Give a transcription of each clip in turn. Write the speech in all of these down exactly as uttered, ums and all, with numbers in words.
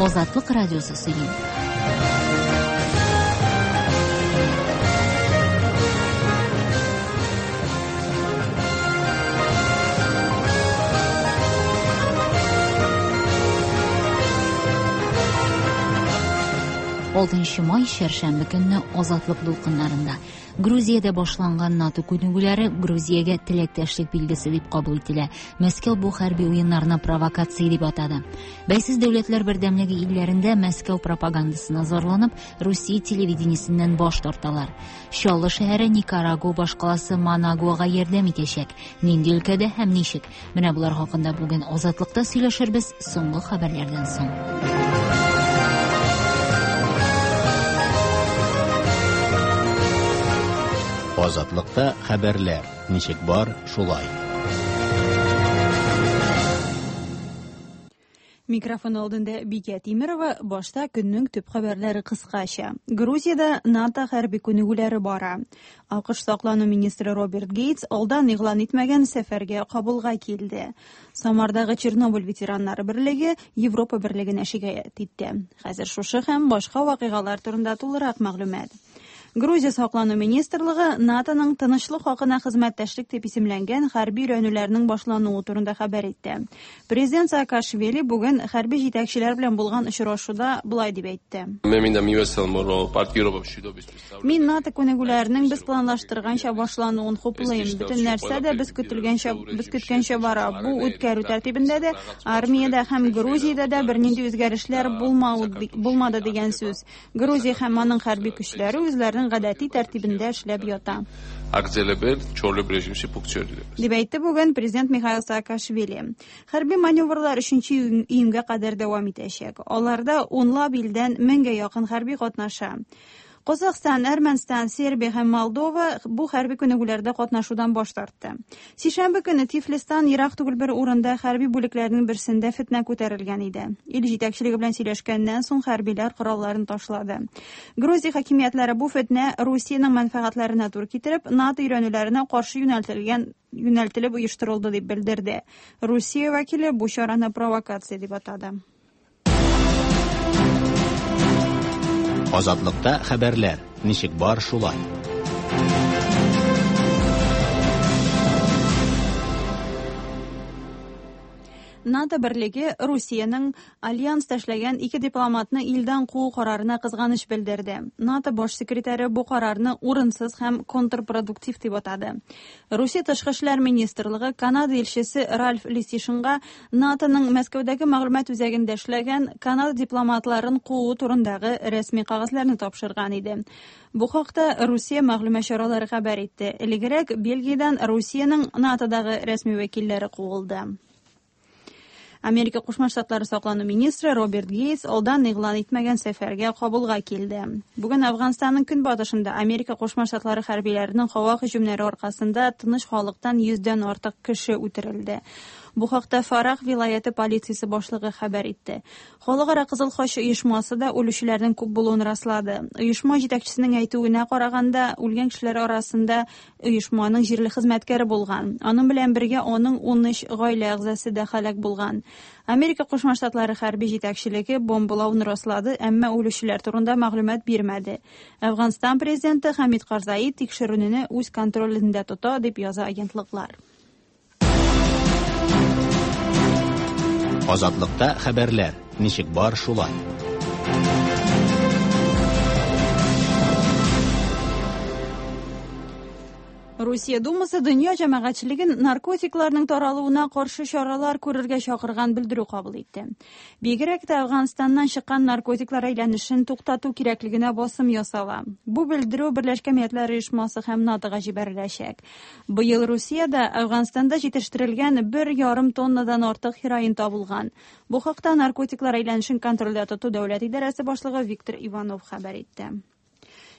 Азатлык радиосы сөйли. Алтынчы май чәршәмбе көнне Азатлык дулкыннарында Грузиядә башланган НАТО күнегүләре Грузиягә теләктәшлек билгесе дип кабул ителә. Мәскәү бу хәрби уеннарны провокация дип атады. Бәйсез дәүләтләр бердәмлеге илләрендә Мәскәү пропагандасына зарланып, Русия телевидениесеннән баш тарталар. Чаллы шәһәре Никарагуа башкаласы Манагуага ярдәм итәчәк. Нинди өлкәдә һәм ничек? Менә болар хакында бүген Азатлыкта сөйләшербез соңгы хәбәрләрдән соң. Азатлыкта хәбәрләр ничек бар, шулай. Микрофон алдында Бикә Тимирова, башта көннең төп хәбәрләре кыскача. Грузиядә НАТО хәрби күнегүләре бара. АКШ саклану министры Роберт Гейтс алдан игълан итмәгән сәфәргә Кабулга килде. Самардагы Чернобыль ветераннары берлеге Европа берлегенә шикаять итте. Хәзер шушы һәм башка вакыйгалар турында тулырак мәгълүмат. Грузия саклану министрлыгы НАТОның тынычлык хакына хезмәттәшлек дип исемләнгән хәрби өйрәнүләрнең башлануы турында хәбәр итте. Президент Саакашвили бүген хәрби җитәкчеләр белән булган очрашуда болай дип әйтте. Мин НАТО күнегүләренең без планлаштырганча башлануын хуплыйм. Бөтен нәрсә дә без көтелгәнчә, без көткәнчә бара. Бу үткәрү тәртибендә дә, армиядә һәм Грузиядә дә бернинди үзгәрешләр булмады дигән сүз. Грузия һәм аның хәрби көчләре үзләренең гадәти тәртибендә эшләп ята. Дип әйтте бүген президент Михаил Саакашвили. Хәрби маневрлар өченче июньгә кадәр дәвам итәчәк. Аларда унлап илдән меңгә якын хәрби катнаша. Казахстан, Әрмәнстан, Сербия һәм Молдова бу хәрби күнегүләрдә катнашудан баш тартты. Сишәмбе көне Тифлистан ерак түгел бер урында хәрби бүлекләрнең берсендә фетнә күтәрелгән иде. Ил җитәкчелеге белән сөйләшкәннән соң хәрбиләр коралларын ташлады. Грузия хакимиятләре бу фетнә Русиянең мәнфәгатьләренә туры китереп, НАТО өйрәнүләренә каршы юнәлтелгән юнәлтелеп оештырылды дип белдерде. Русия вәкиле бу чараны провокация дип атады. Азатлыкта хәбәрләр ничек бар, шулай. НАТО берлеге Русиянең альянста эшләгән ике дипломатны илдән куу карарына кызганыч белдерде. НАТО баш секретаре бу карарны урынсыз һәм контрпродуктив дип атады. Русия тышкы эшләр министрлыгы Канада илчесе Ральф Лисишинга НАТОның Мәскәүдәге мәгълүмат үзәгендә эшләгән Канада дипломатларын куу турындагы рәсми кәгазьләрне тапшырган иде. Бу хакта Русия мәгълүмат чаралары хәбәр итте. Элегрәк Бельгиядән Русиянең НАТОдагы рәсми вәкилләре куылды. Америка Кушма Штатлары саклану министры Роберт Гейтс алдан игълан итмәгән сәфәргә Кабулга килде. Бүген Афганстанның көнбатышында Америка Кушма Штатлары хәрбиләренең һава һөҗүмнәре аркасында тыныч халыктан йөздән артык кеше үтерелде. Бу хакта Фарах вилаяте полициясе башлыгы хәбәр итте. Халыкара Кызыл Хач оешмасы да үлүчеләрнең күп булуын раслады. Оешма җитәкчесенең әйтүенә караганда, үлгән кешеләр арасында оешманың җирле хезмәткәре булган. Аның белән бергә аның ун өч гаилә әгъзасы да һәлак булган. Америка Кушма Штатлары хәрби җитәкчелеге бомбалауны раслады, әмма үлүчеләр турында мәгълүмат бирмәде. Афганстан президенты Хамид Карзаи тикшерүне үз контролендә тота, дип яза агентлыклар. Азатлыкта хәбәрләр ничек бар, шулай. Русия Думасы дөнья җәмәгатьчелеген наркотикларның таралуына каршы чаралар күрергә чакырган белдерү кабул итте. Бигрәк тә Афганстаннан чыккан наркотиклар әйләнешен туктату кирәклегенә басым ясала. Бу белдерү Берләшкән Милләтләр Оешмасы һәм НАТОга җибәреләчәк. Быел Русиядә Афганстанда җитештерелгән бер ярым тоннадан артык хероин табылган. Бу хакта наркотиклар әйләнешен контрольдә тоту дәүләт идарәсе башлыгы Виктор Иванов хәбәр итте.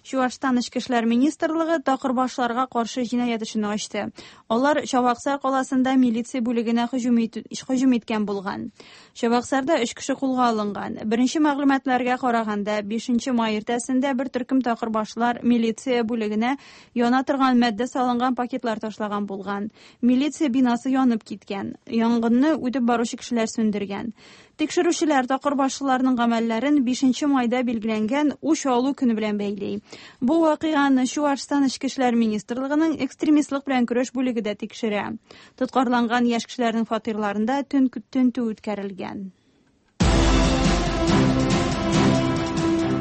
Чуашстан Эчке эшләр министрлыгы такырбашларга каршы җинаять эшен ачты. Алар Чабаксар каласында милиция бүлегенә һөҗүм иткән булган. Чабаксарда өч кеше кулга алынган. Беренче мәгълүматларга караганда, бишенче май иртәсендә бер төркем такырбашлар милиция бүлегенә яна торган матдә салынган пакетлар ташлаган булган. Милиция бинасы янып киткән. Янгынны үтеп баручы кешеләр сүндергән. Тикшерүчеләр такырбашлыларның гамәлләрен бишенче майда билгеләнгән үч алу көне белән бәйли. Бу вакыйганы Чуашстан Эчке эшләр министрлыгының экстремистлык белән көрәш бүлеге дә тикшерә. Тоткарланган яшь кешеләрнең фатирларында тентү үткәрелгән.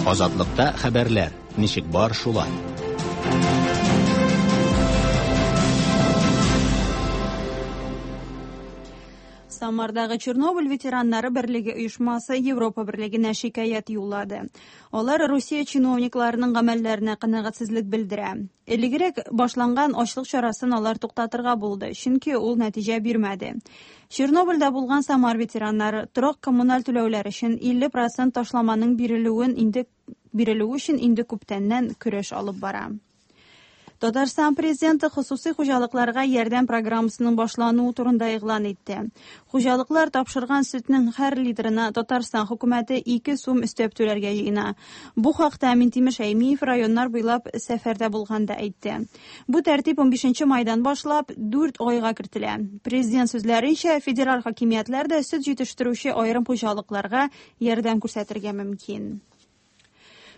Азатлыкта хәбәрләр ничек бар шулай. Самардагы Чернобыль ветераннары берлеге оешмасы Европа берлегенә шикаять юллады. Алар Русия чиновникларының гамәлләренә канәгатьсезлек белдерә. Элегрәк башланган ачлык чарасын алар туктатырга булды, чөнки ул нәтиҗә бирмәде. Чернобыльдә булган Самар ветераннары торак коммуналь түләүләр өчен илле процент ташламаның бирелүен инде бирелүе өчен инде күптәннән көрәш алып бара. Татарстан президенты хосусый хуҗалыкларга ярдәм программасының башлануы турында игълан итте. Хуҗалыклар тапшырган сөтнең һәр литрына Татарстан хөкүмәте ике сум өстәп түләргә җыена. Бу хакта Минтимер Шәймиев районнар буйлап сәфәрдә булганда әйтте. Бу тәртип унбишенче майдан башлап дүрт айга кертелә. Президент сүзләренчә, федераль хакимиятләр дә сөт җитештерүче аерым хуҗалыкларга ярдәм күрсәтергә мөмкин.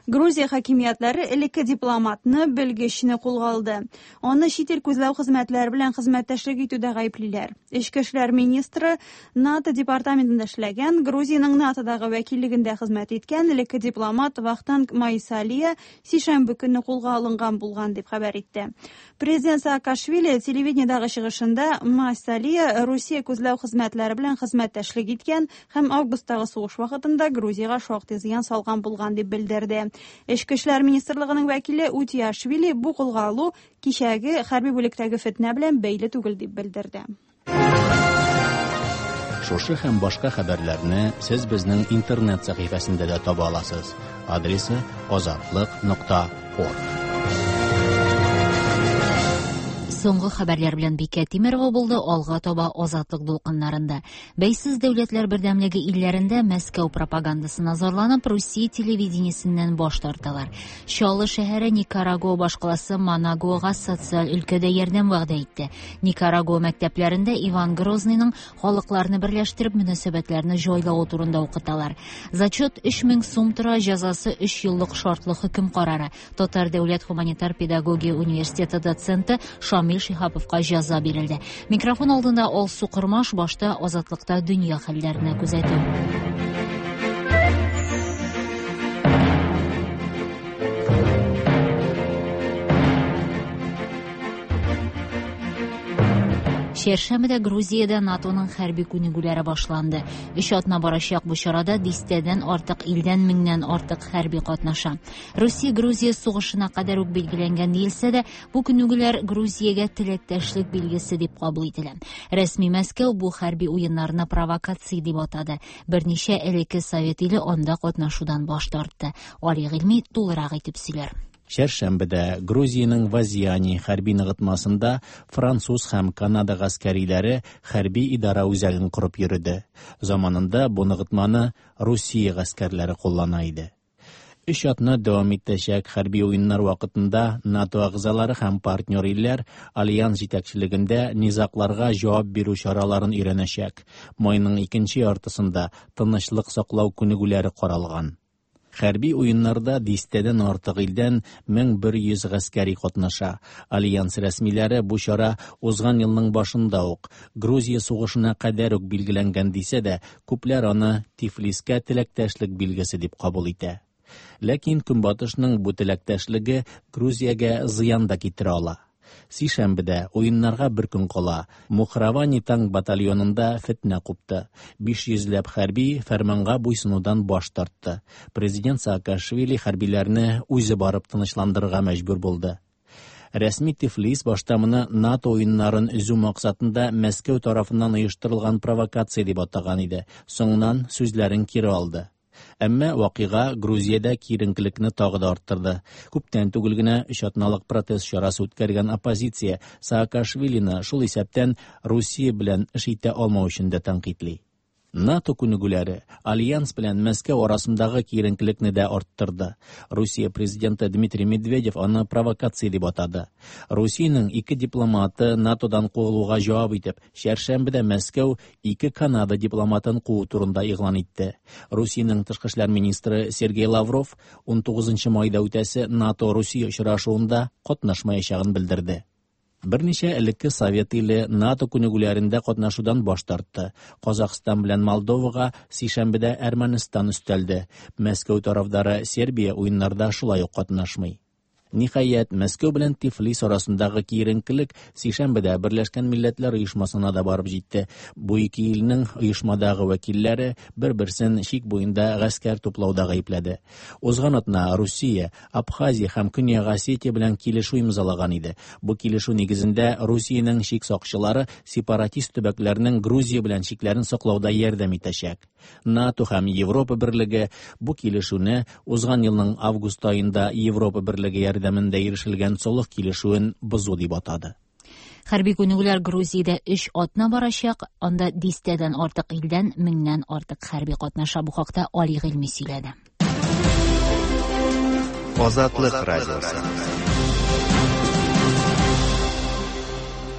Грузия хакимиятләре элекке дипломатны, белгечне кулга алды. Аны чит ил күзләү хезмәтләре белән хезмәттәшлек итүдә гаеплиләр. Эчке эшләр министры НАТО департаментында эшләгән, Грузиянең НАТОдагы вәкиллегендә хезмәт иткән элекке дипломат Вахтанг Майсалия сишәмбе көнне кулга алынган булган дип хәбәр итте. Президент Саакашвили телевидениедагы чыгышында Майсалия Русия күзләү хезмәтләре белән хезмәттәшлек иткән һәм августтагы сугыш вакытында Грузиягә шактый зыян салган булган дип белдерде. Эчке эшләр министрлыгының вәкиле Утиашвили бу кулга алу кичәге хәрби бүлектәге фетнә белән бәйле түгел дип белдерде. Шушы һәм башка хәбәрләрне сез безнең интернет сәхифәсендә дә таба аласыз. Адресы азатлык нокта орг. Соңгы хәбәрләр белән Бикә Тимерова булды. Алга таба Азатлык дулкыннарында. Бәйсез дәүләтләр бердәмлеге илләрендә Мәскәү пропагандасына зарланып, Русия телевидениесеннән баш тарталар. Чаллы шәһәре Никарагуа башкаласы Манагуага социаль өлкәдә ярдәм вәгъдә итте. Никарагуа мәктәпләрендә Иван Грозныйның халыкларны берләштереп мөнәсәбәтләрне җайлавы турында укыталар. Зачет өч мең сум тора, җәзасы өч еллык шартлы хөкем карары. Татар дәүләт гуманитар педагогия университеты доценты Шамил Шиһаповка җәза бирелде. Микрофон алдында Алсу Кормаш, башта Азатлыкта дөнья хәлләренә күзәтү. Чәршәмбедә Грузиядә НАТОның хәрби күнегүләре башланды. Өч атна барачак бу чарада дистәдән артык илдән меңнән артык хәрби катнаша. Русия Грузия сугышына кадәр үк билгеләнгән диелсә дә, бу күнегүләр Грузиягә теләктәшлек билгесе дип кабул ителә. Рәсми Мәскәү бу хәрби уеннарны провокация дип атады. Берничә элекке совет иле анда катнашудан баш тартты. Али Гыйльми тулырак итеп сөйләр. Чәршәмбедә Грузиянең Вазиани хәрби ныгытмасында француз һәм Канада гаскәриләре хәрби идара үзәген корып йөрде. Заманында бу ныгытманы Русия гаскәрләре куллана иде. Өч атна дәвам итәчәк хәрби уеннар вакытында НАТО әгъзалары һәм партнер илләр альянс җитәкчелегендә низагларга җавап бирү чараларын өйрәнәчәк. Майның икенче яртысында тынычлык саклау күнегүләре каралган. Хәрби уеннарда дистәдән артык илдән мең бер йөз гаскәри катнаша. Альянс рәсмиләре бу чара узган елның башында ук Грузия сугышына кадәр үк билгеләнгән дисә дә, күпләр аны Тифлискә теләктәшлек билгесе дип кабул итә. Ләкин Көнбатышның бу теләктәшлеге Грузиягә зыян да китерә ала. Сишәмбедә уеннарга бер көн кала Мухравани танк батальонында фетнә купты. Биш йөзләп хәрби фәрманга буйсынудан баш тартты. Президент Саакашвили хәрбиләрне үзе барып тынычландырырга мәҗбүр булды. Рәсми Тифлис башта моны НАТО уеннарын өзү максатында Мәскәү тарафыннан оештырылган провокация дип атаган иде. Соңыннан сүзләрен кире алды. Әмма вакыйга Грузиядә киеренкелекне тагы да арттырды. Күптән түгел генә өч атналык протест чарасы үткәргән оппозиция Саакашвилины шул исәптән Русия белән эш итә алмау өчен дә тәнкыйтьли. НАТО күнегүләре Альянс белән Мәскәү арасындагы киеренкелекне дә арттырды. Русия президенты Дмитрий Медведев аны провокация дип атады. Русиянең ике дипломаты НАТОдан куылуга җавап итеп, чәршәмбедә Мәскәү ике Канада дипломатын куу турында игълан итте. Русиянең тышкы эшләр министры Сергей Лавров ун тугызынчы майда үтәсе НАТО-Русия очрашуында катнашмаячагын белдерде. Берничә элекке Совет иле НАТО күнегүләрендә катнашудан баш тартты. Казахстан белән Молдовага сишәмбедә Әрмәнстан өстәлде. Мәскәү тарафдары Сербия уеннарда шулай ук катнашмый. Ниһаять, Мәскәү белән Тифлис арасындагы киеренкелек сишәмбедә Берләшкән Милләтләр Оешмасына да барып җитте. Бу ике илнең оешмадагы вәкилләре бер-берсен чик буенда гаскәр туплауда гаепләде. Узган атна Русия, Абхазия һәм Көньяк Осетия белән килешү имзалаган иде. Бу килешү нигезендә Русиянең чик сакчылары сепаратист төбәкләрнең Грузия белән чикләрен саклауда ярдәм итәчәк. НАТО һәм Европа Берлеге бу килешүне узган елның август аенда Европа Берлеге ярдәмендә ирешелгән солых килешүен бозу дип атады. Хәрби күнегүләр Грузиядә өч атна барачак, анда дистәдән артык илдән меңнән артык хәрби катнаша. Бу хакта Али Гыйльми сөйләде. Азатлык радиосы.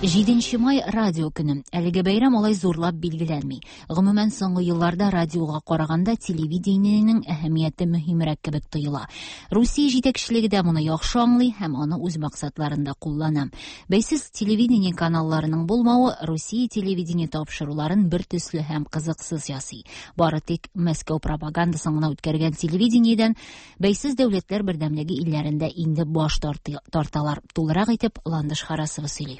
Җиденче май радио көне. Әлеге бәйрәм алай зурлап билгеләнми. Гомумән, соңгы елларда радиога караганда телевидениенең әһәмияте мөһимрәк кебек тоела. Русия җитәкчелеге дә моны яхшы аңлый һәм аны үз максатларында куллана. Бәйсез телевидение каналларының булмавы Русия телевидение тапшыруларын бер төсле һәм кызыксыз ясый. Бары тик Мәскәү пропагандасын гына үткәргән телевидениедән бәйсез дәүләтләр бердәмлеге илләрендә инде баш тарталар. Тулырак итеп Ландыш Харасова сөйли.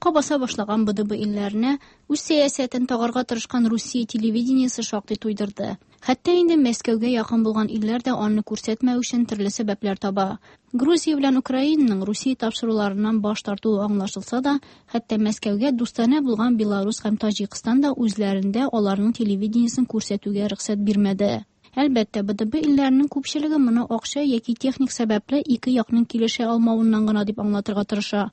Баса башлаган Б Д Б илләренә үз сәясәтен тагарга тырышкан Русия телевидениесе шактый туйдырды. Хәтта инде Мәскәүгә якын булган илләр дә аны күрсәтмәү өчен төрле сәбәпләр таба. Грузия белән Украинаның Русия тапшыруларыннан баш тартуы аңлашылса да, хәтта Мәскәүгә дустанә булган Беларус һәм Таҗикстан да үзләрендә аларның телевидениесен күрсәтүгә рөхсәт бирмәде. Әлбәттә, Б Д Б илләренең күпчелеге моны акча яки техник сәбәпле ике якның килешә алмавыннан гына дип аңлатырга тырыша.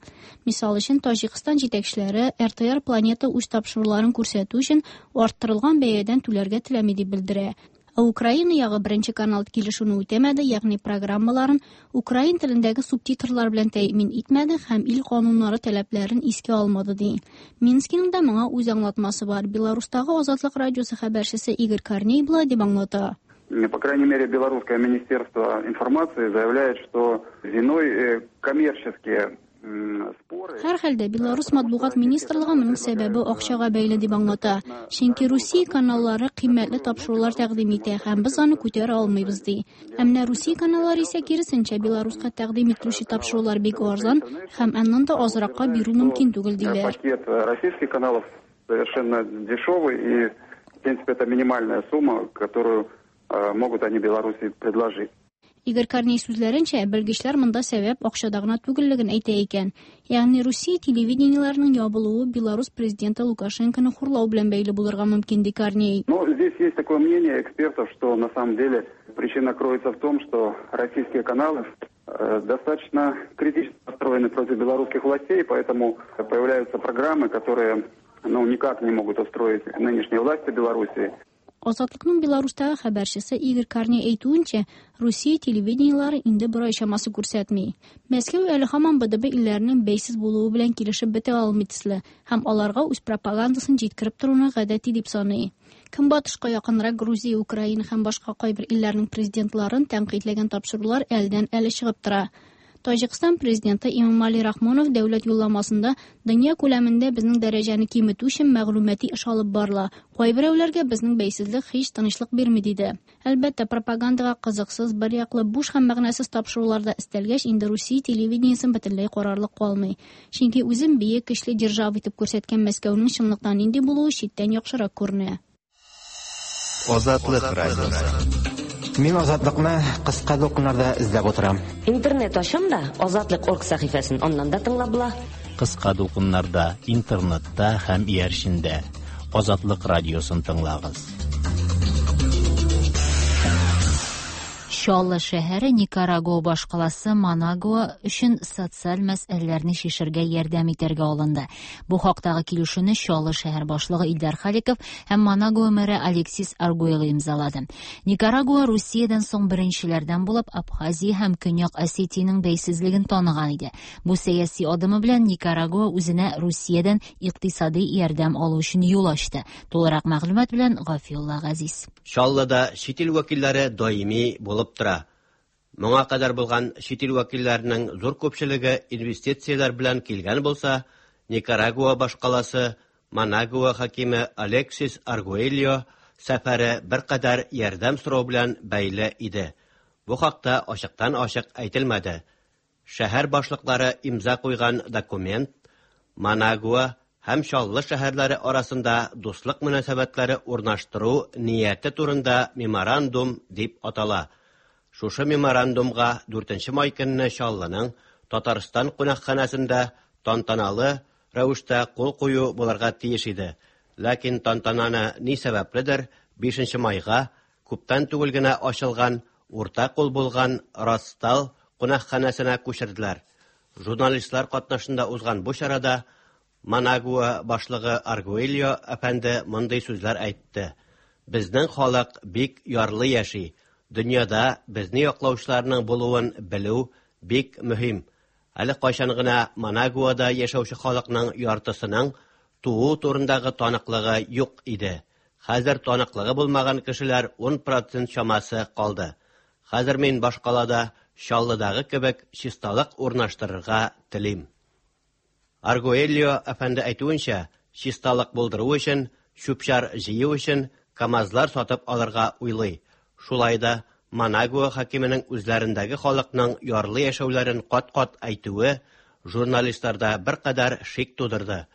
Мисал өчен, Таҗикстан җитәкчеләре Р Т Р Планета үз тапшыруларын күрсәтү өчен арттырылган бәядән түләргә теләми дип белдерә. Ә Украина ягы беренче канал килешүне үтәмәде, ягъни программаларын украин телендәге субтитрлар белән тәэмин итмәде һәм ил кануннары таләпләрен искә алмады ди. Минскиның да моңа үз аңлатмасы бар. Беларустагы Азатлык радиосы хәбәрчесе Игорь Корней болай дип аңлата. По крайней мере, Белорусское министерство информации заявляет, что виной коммерческие споры. Һәр хәлдә Белорус матбугат министрлыгы моның сәбәбе акчага бәйле дип аңлата. Чөнки Русия каналлары кыйммәтле тапшырулар тәкъдим итә һәм без аны күтәрә алмыйбыз ди. Ә менә Русия каналлары исә киресенчә Беларуска тәкъдим ителүче тапшырулар бик арзан һәм аннан да азракка бирү мөмкин түгел диләр. Пакет российских каналов совершенно дешевый и, в принципе, это минимальная сумма, которую могут они Беларуси предложить. Игорь Корней сүзләренчә, белгечләр монда сәбәп акчада гына түгеллеген әйтә икән. Ягъни Русия телевидениеләренең ябылуы Беларус президенты Лукашенконы хурлау белән бәйле булырга мөмкин, ди Корней. Но здесь есть такое мнение экспертов, что на самом деле причина кроется в том, что российские каналы достаточно критически настроены против белорусских властей, поэтому появляются программы, которые, ну, никак не могут устроить нынешние власти Беларуси. Азатлыкның Беларустагы хәбәрчесе Игорь Корней әйтүенчә, Русия телевидениеләре инде бер ай чамасы күрсәтми. Мәскәү әле һаман Б Д Б илләренең бәйсез булуы белән килешеп бетә алмый төсле һәм аларга үз пропагандасын җиткереп торуны гадәти дип саный. Көнбатышка якынрак Грузия, Украина һәм башка кайбер илләрнең президентларын тәнкыйтьләгән тапшырулар әлдән әле чыгып тора. Таҗикстан президенты Эмомали Рахмонов дәүләт юлламасында дөнья күләмендә безнең дәрәҗәне киметү өчен мәгълүмати эш алып барыла. Кайберәүләргә безнең бәйсезлек һич тынычлык бирми диде. Әлбәттә, пропагандага кызыксыз, бер яклы буш һәм мәгънәсез тапшыруларда өстәлгәч, инде Русия телевидениесен бөтенләй карарлык калмый. Чөнки үзен бөек көчле держава итеп күрсәткән Мәскәүнең чынлыкта нинди булуы читтән яхшырак күренә. Азатлык радиосы. Мин Азатлыкны кыска дулкыннарда эзләп утырам. Интернет ачам да Азатлык орг сәхифәсен аннан да тыңлап була. Кыска дулкыннарда, интернетта һәм иярчендә Азатлык радиосын тыңлагыз. Чаллы шәһәре Никарагуа башкаласы Манагуа өчен социаль мәсьәләләрне чишәргә ярдәм итәргә алынды. Бу хактагы килешүне Чаллы шәһәр башлыгы Илдар Халиков һәм Манагуа мэры Алексис Аргуэлло имзалады. Никарагуа Русиядән соң беренчеләрдән булып Абхазия һәм Көньяк Осетиянең бәйсезлеген таныган иде. Бу сәяси адымы белән Никарагуа үзенә Русиядән икътисади ярдәм алу өчен юл ачты. Тулырак мәгълүмат белән Гафиулла Газиз. Чаллыда чит ил вәкилләре даими булып тора. Моңа кадәр булган чит ил вәкилләренең зур күпчелеге инвестицияләр белән килгән булса, Никарагуа башкаласы Манагуа хакиме Алексис Аргуэльо сәфәре беркадәр ярдәм сорау белән бәйле иде. Бу хакта ачыктан-ачык әйтелмәде. Шәһәр башлыклары имза куйган документ Манагуа һәм Чаллы шәһәрләре арасында дуслык мөнәсәбәтләре урнаштыру нияте турында меморандум дип атала. Шушы меморандумга дүртенче май көнне Чаллының Татарстан кунакханәсендә тантаналы рәвештә кул кую булырга тиеш иде. Ләкин тантананы ни сәбәпледер бишенче майга күптән түгел генә ачылган урта кул булган Ростал кунакханәсенә күчерделәр. Журналистлар катнашында узган бу чарада Манагуа башлыгы Аргуэльо әфәнде мондый сүзләр әйтте. Безнең халык бик ярлы яши. Дөньяда безне яклаучыларның булуын белү бик мөһим. Әле кайчан гына Манагуада яшәүче халыкның яртысының туу турындагы таныклыгы юк иде. Хәзер таныклыгы булмаган кешеләр ун процент чамасы калды. Хәзер мин башкалада Чаллыдагы кебек чисталык урнаштырырга телим. Аргуэльо әфәнде әйтүенчә, чисталык булдыру өчен, чүп-чар җыю өчен КАМАЗлар сатып алырга уйлый. Шулай да Манагуа хакименең үзләрендәге халыкның ярлы яшәүләрен кат-кат әйтүе журналистларда беркадәр шик тудырды.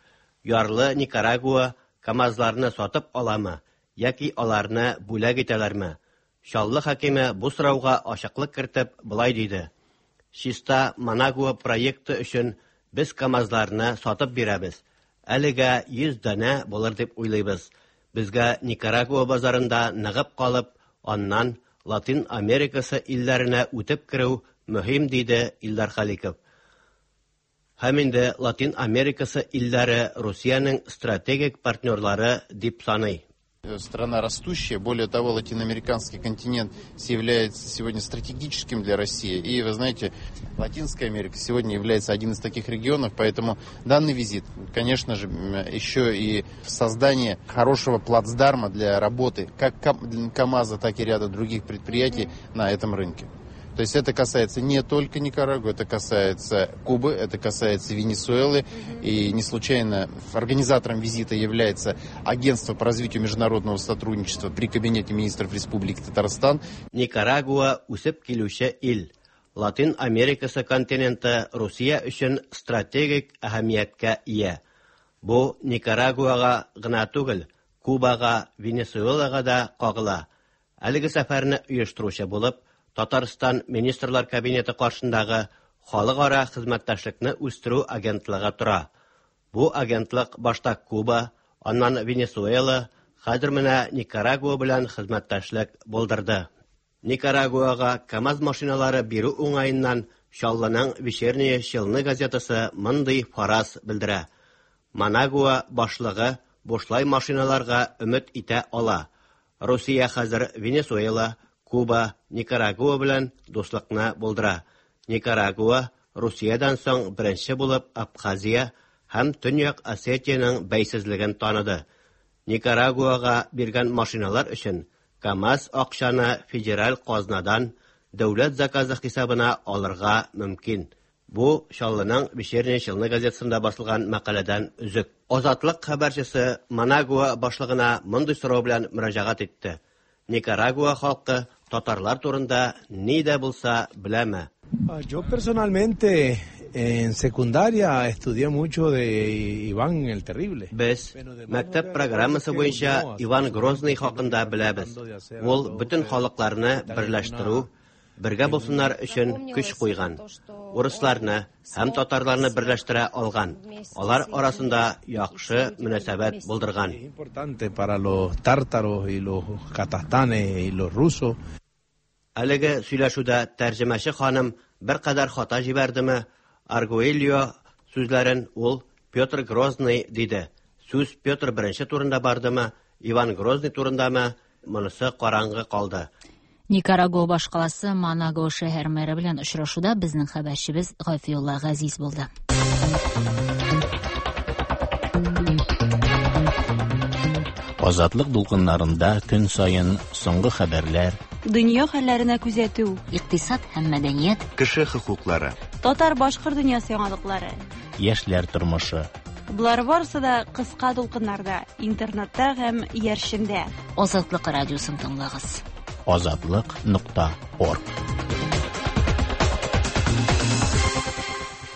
Ярлы Никарагуа КАМАЗларны сатып аламы яки аларны бүләк итәләрме? Чаллы хакиме бу сорауга ачыклык кертеп болай диде: Чиста Манагуа проекты өчен без КАМАЗларны сатып бирәбез. Әлегә йөз данә булыр дип уйлыйбыз. Безгә Никарагуа базарында ныгып калып, аннан Латин Америкасы илләренә үтеп керү мөһим, диде Илдар Халиков. Һәм инде Латин Америкасы илләре Русиянең стратегик партнерлары дип саный. Страна растущая, более того, латиноамериканский континент является сегодня стратегическим для России. И, вы знаете, Латинская Америка сегодня является один из таких регионов, поэтому данный визит, конечно же, еще и создание хорошего плацдарма для работы как КАМАЗа, так и ряда других предприятий на этом рынке. То есть это касается не только Никарагуа, это касается Кубы, это касается Венесуэлы. И не случайно организатором визита является Агентство по развитию международного сотрудничества при Кабинете министров Республики Татарстан. Никарагуа үсеп килүче ил. Латин Америкасы континенты Русия өчен стратегик әһәмияткә ия. Бу Никарагуага гына түгел, Кубага, Венесуэлага да кагыла. Әлеге сәфәрне оештыручы булып Татарстан Министрлар Кабинеты каршындагы халыкара хезмәттәшлекне үстерү агентлыгы тора. Бу агентлык башта Куба, аннан Венесуэла, хәзер менә Никарагуа белән хезмәттәшлек булдырды. Никарагуага КАМАЗ машиналары бирү уңаеннан Чаллының Вечерние Челны газетасы мондый фараз белдерә. Манагуа башлыгы бушлай машиналарга өмет итә ала. Русия хәзер Венесуэла, Куба, Никарагуа белән дуслыкны булдыра. Никарагуа Русиядән соң беренче булып Абхазия һәм Төньяк Осетиянең бәйсезлеген таныды. Никарагуага биргән машиналар өчен КАМАЗ акчаны федераль казнадан дәүләт заказы хисабына алырга мөмкин. Бу Чаллының Вечерние Челны газетасында басылган мәкаләдән өзек. Азатлык хәбәрчесе Манагуа башлыгына мондый сорау белән мөрәҗәгать итте. Никарагуа халкы татарлар турында ни дә булса беләме? Yo personalmente en secundaria estudié mucho de Iván el Terrible. Без мәктәп программасы буенча Иван Грозный хакында беләбез. Ул бөтен халыкларны берләштерү, бергә булсыннар өчен көч куйган. Урысларны һәм татарларны берләштерә алган. Алар арасында яхшы мөнәсәбәт булдырган. Importante para los tártaros y los kazajstanes y los rusos. Әлеге сөйләшүдә тәрҗемәче ханым беркадәр хата җибәрдеме, Аргуэльо сүзләрен ул Петр Грозный диде. Сүз Петр Беренче турында бардымы, Иван Грозный турындамы, монысы караңгы калды. Никарагуа башкаласы Манагуа шәһәр мэры белән очрашуда безнең хәбәрчебез Гафиулла Газиз булды. Азатлык дулкыннарында көн саен соңгы хәбәрләр, дөнья хәлләренә күзәтү, икътисад һәм мәдәният, кеше хокуклары, татар-башкорт дөньясы яңалыклары, яшьләр тормышы. Болар барысы да кыска дулкыннарда, интернетта һәм иярчендә. Азатлык радиосын тыңлагыз. Азатлык нокта орг.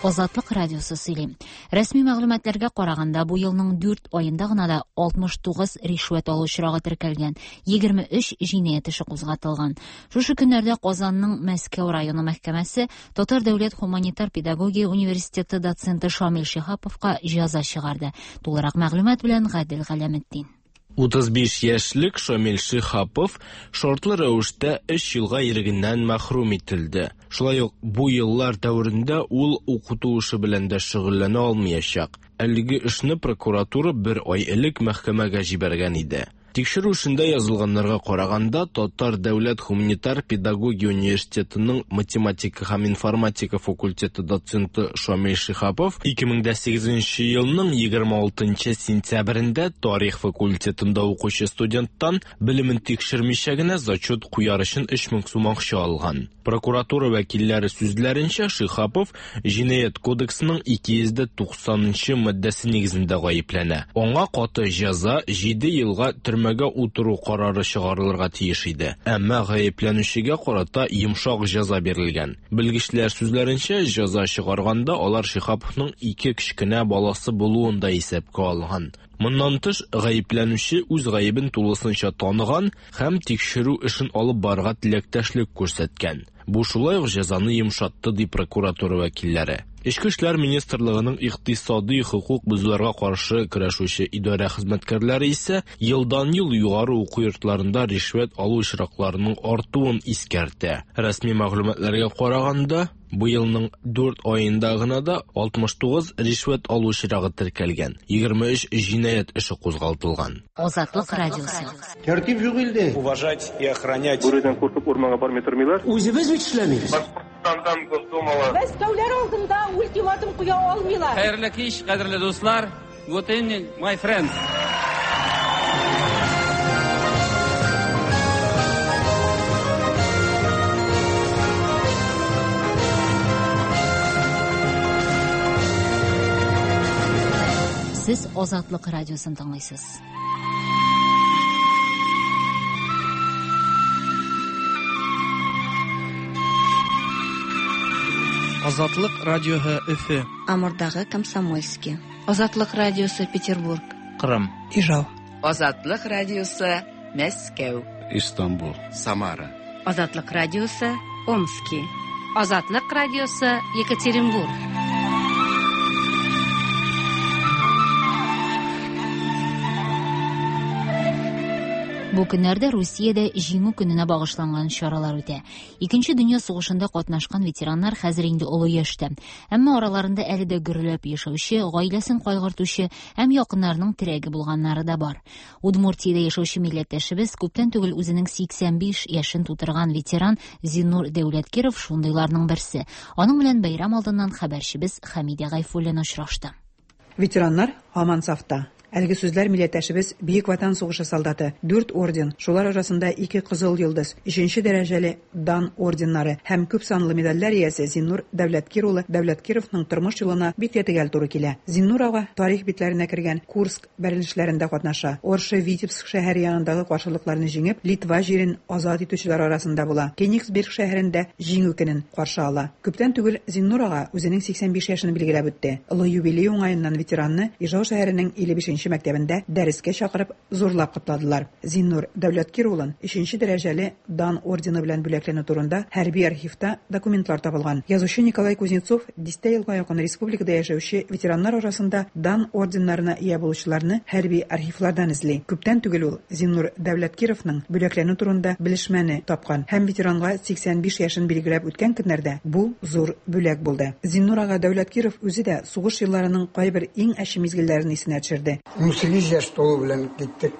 Азатлык радиосы сөйли. Рәсми мәгълүматларга караганда, бу елның дүрт аенда гына да алтмыш тугыз ришвәт алу очрагы теркәлгән, егерме өч җинаять эше кузгатылган. Шушы көннәрдә Казанның Мәскәү районы мәхкәмәсе Татар дәүләт һуманитар педагогия университеты доценты Шамил Шиһаповка җәза чыгарды. Тулырак мәгълүмат белән Гадел Галәметдин. Утыз биш яшьлек Шамил Шиһапов шартлы рәвештә өч елга ирегеннән мәхрүм ителде. Шулай ук бу еллар дәверендә ул укыту эше белән дә шөгыльләнә алмаячак. Әлеге эшне прокуратура бер ай элек мәхкәмәгә җибәргән иде. Тикшерү эшендә язылганнарга караганда, Татар дәүләт һуманитар педагогия университетының математика һәм информатика факультеты доценты Шамил Шиһапов ике мең дә сигезенче елның егерме алтынчы сентябрендә тарих факультетында укучы студенттан белемен тикшермичә генә зачет куяр өчен өч мең сум акча алган. Прокуратура вәкилләре сүзләренчә, Шиһапов җинаять кодексының ике йөз дә туксанынчы маддәсе нигезендә гаепләнә. Аңа каты җәза җиде елга төрмәгә утыру карары чыгарылырга тиеш иде. Әмма гаепләнүчегә карата йомшак җәза бирелгән. Белгечләр сүзләренчә, җәза чыгарганда алар Шиһаповның ике кечкенә баласы булуын да исәпкә алган. Моннан тыш, гаепләнүче үз гаебен тулысынча таныган һәм тикшерү эшен алып барырга теләктәшлек күрсәткән. Бу шулай ук җәзаны йомшатты, ди прокуратура вәкилләре. Эчке эшләр министрлыгының икътисади хокук бозуларга каршы көрәшүче идарә хезмәткәрләре исә елдан-ел югары уку йортларында ришвәт алу очракларының артуын искәртә. Рәсми мәгълүматларга караганда, бу елның дүрт аенда гына да алтмыш тугыз ришвәт алу очрагы теркәлгән, егерме өч җинаять эше кузгатылган. Азатлык радиосы. Тәртип юк илдә. Уважать и охранять. Бүредән куркып урманга бармый тормыйлар. Үзебез бит эшләмибез. Башкортстандан Госдумала. Мәскәүләр алдында ультиматум куя алмыйлар. Хәерле кич, кадерле дуслар. Good evening, my friends. Сез Азатлык радиосын тыңлыйсыз. Азатлык радиоһы Өфө. Амурдагы Комсомольский. Азатлык радиосы Петербург. Кырым. Ижау. Азатлык радиосы Мәскәү. Истанбул. Самара. Азатлык радиосы Омски. Азатлык радиосы Екатеринбург. Бу көннәрдә Русиядә Җиңү көненә багышланган чаралар үтә. Икенче дөнья сугышында катнашкан ветераннар хәзер инде олы яшьтә. Әмма араларында әле дә гөрләп яшәүче, гаиләсен кайгыртучы һәм якыннарының терәге булганнары да бар. Удмуртиядә яшәүче милләттәшебез күптән түгел үзенең сиксән биш яшен тутырган ветеран Зиннур Дәүләткиров шундыйларның берсе. Аның белән бәйрәм алдыннан хәбәрчебез Хәмидә Гайфуллина очрашты. Ветераннар һаман сафта. Әлеге сүзләр милләттәшебез Бөек Ватан сугышы солдаты, дүрт орден, шулар арасында ике Кызыл Йолдыз, өченче дәрәҗәле Дан орденнары һәм күп санлы медальләр иясе Зиннур Дәүләткир улы Дәүләткировның тормыш юлына бик тә төгәл туры килә. Зиннур ага тарих битләренә кергән Курск бәрелешләрендә катнаша. Орша Витебск шәһәре янындагы каршылыкларны җиңеп, Литва җирен азат итүчеләр арасында була. Кенигсберг шәһәрендә Җиңү көнен каршы ала. Күптән түгел Зиннур ага үзенең сиксән биш яшен билгеләп үтте. Олы юбилей уңаеннан ветеранны Ижау шәһәренең илле бишенче икенче мәктәбендә дәрескә чакырып зурлап котладылар. Зиннур Дәүләткир улын өченче дәрәҗәле Дан ордены белән бүләкләнү турында хәрби архивта документлар табылган. Язучы Николай Кузнецов дистә елга якын республикада яшәүче ветераннар арасында Дан орденнарына ия булучыларны хәрби архивлардан эзли. Күптән түгел ул Зиннур Дәүләткировның бүләкләнү турында белешмәне тапкан һәм ветеранга сиксән биш яшен билгеләп үткән көннәрдә бу зур бүләк булды. Зиннур ага Дәүләткиров үзе дә сугыш елларының кайбер иң әче мизгелләрен исенә төшерде. ун сигез яшь тулу белән киттек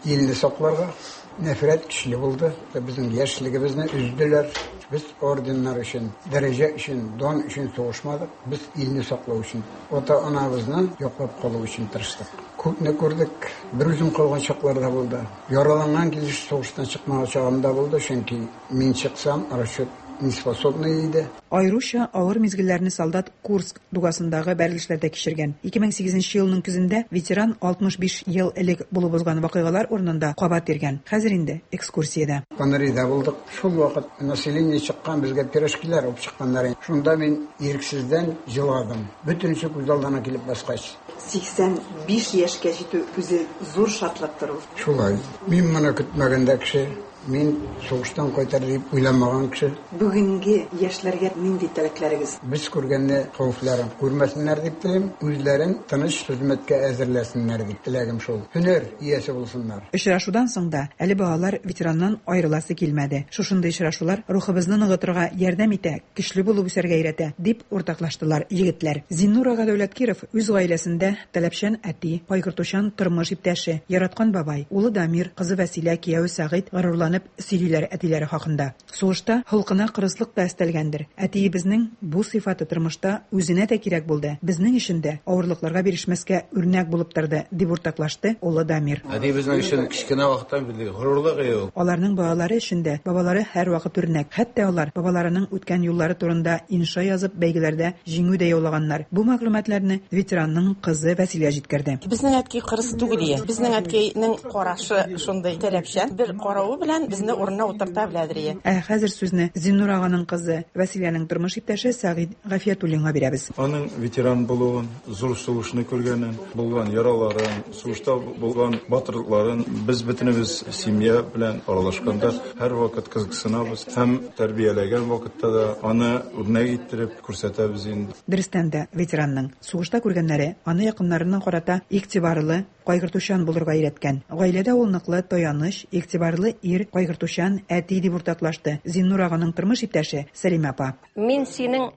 илне сакларга. Нәфрәт көчле булды. Безнең яшьлегебезне өзделәр. Без орденнар өчен, дәрәҗә өчен, дан өчен сугышмадык. Без илне саклау өчен, ата-анабызны яклап калу өчен тырыштык. Күпне күрдек. Бер үзем калган чаклар да булды. Яраланган килеш сугыштан чыкмаган чагым да булды, чөнки мин чыксам, расчет неспособный иде. Аеруча авыр мизгелләрне солдат Курск дугасындагы бәрелешләрдә кичергән. ике мең сигезенче елның көзендә ветеран алтмыш биш ел элек булып узган вакыйгалар урынында кабат йөргән. Хәзер инде экскурсиядә. Панрида булдык. Шул вакыт население чыккан, безгә пирожкилар алып чыкканнар. Шунда мин ирексездән җыладым. Бөтенесе күз алдына килеп баскач. сиксән биш яшькә җитү үзе зур шатлыктыр ул. Шулай. Мин моны көтмәгәндә кеше, мин сугыштан кайтар дип уйламаган кеше. Бүгенге яшьләргә нинди теләкләрегез? Без күргәнне хәвефләрен күрмәсеннәр дип телим, үзләрен тыныч хезмәткә әзерләсеннәр дип теләгем шул. Һөнәр иясе булсыннар. Очрашудан соң да әле балалар ветераннан аерыласы килмәде. Шушындый очрашулар рухыбызны ныгытырга ярдәм итә, көчле булып үсәргә өйрәтә, дип уртаклаштылар егетләр. Зиннур ага Дәүләткиров үз гаиләсендә таләпчән әти, кайгыртучан тормыш иптәше, яраткан бабай, улы Дамир, кызы Вәсилә, кияве Сәгыйть горурланып сөйлиләр әтиләре хакында. Сугышта холкына кырыслык та өстәлгәндер. Әтиебезнең бу сыйфаты тормышта үзенә дә кирәк булды. Безнең өчен дә авырлыкларга бирешмәскә үрнәк булып торды, дип уртаклашты улы Дамир. Әтиебезнең өчен кечкенә вакыттан бирле горурлык ул. Аларның балалары өчен дә бабалары һәрвакыт үрнәк. Хәтта алар бабаларының үткән юллары турында инша язып бәйгеләрдә җиңү дә яулаганнар. Бу мәгълүматларны ветеранның кызы Вәсилә җиткерде. Безнең әткәй кырыс түгел ие. Безнең әткәйнең карашы шундый таләпчән. Бер каравы белән безне урынына утырта беләдер ие. Ә хәзер сүзне Зиннур аганың кызы Вәсиләнең тормыш иптәше Сәгыйть Гафиятуллинга бирәбез. Аның ветеран булуын, зур сугышны күргәнен, булган яраларын, сугышта булган батырлыкларын без бөтенебез семья белән аралашканда һәрвакыт кызыксынабыз һәм тәрбияләгән вакытта да аны үрнәк иттереп күрсәтәбез инде. Дөрестән дә ветеранның сугышта күргәннәре аны якыннарына карата игътибарлы, кайгыртучан булырга өйрәткән. Гаиләдә ул ныклы таяныч, игътибарлы ир, кайгыртучан әти дип уртаклашты Зиннур аганың тормыш иптәше Сәлимә апа. Мин синең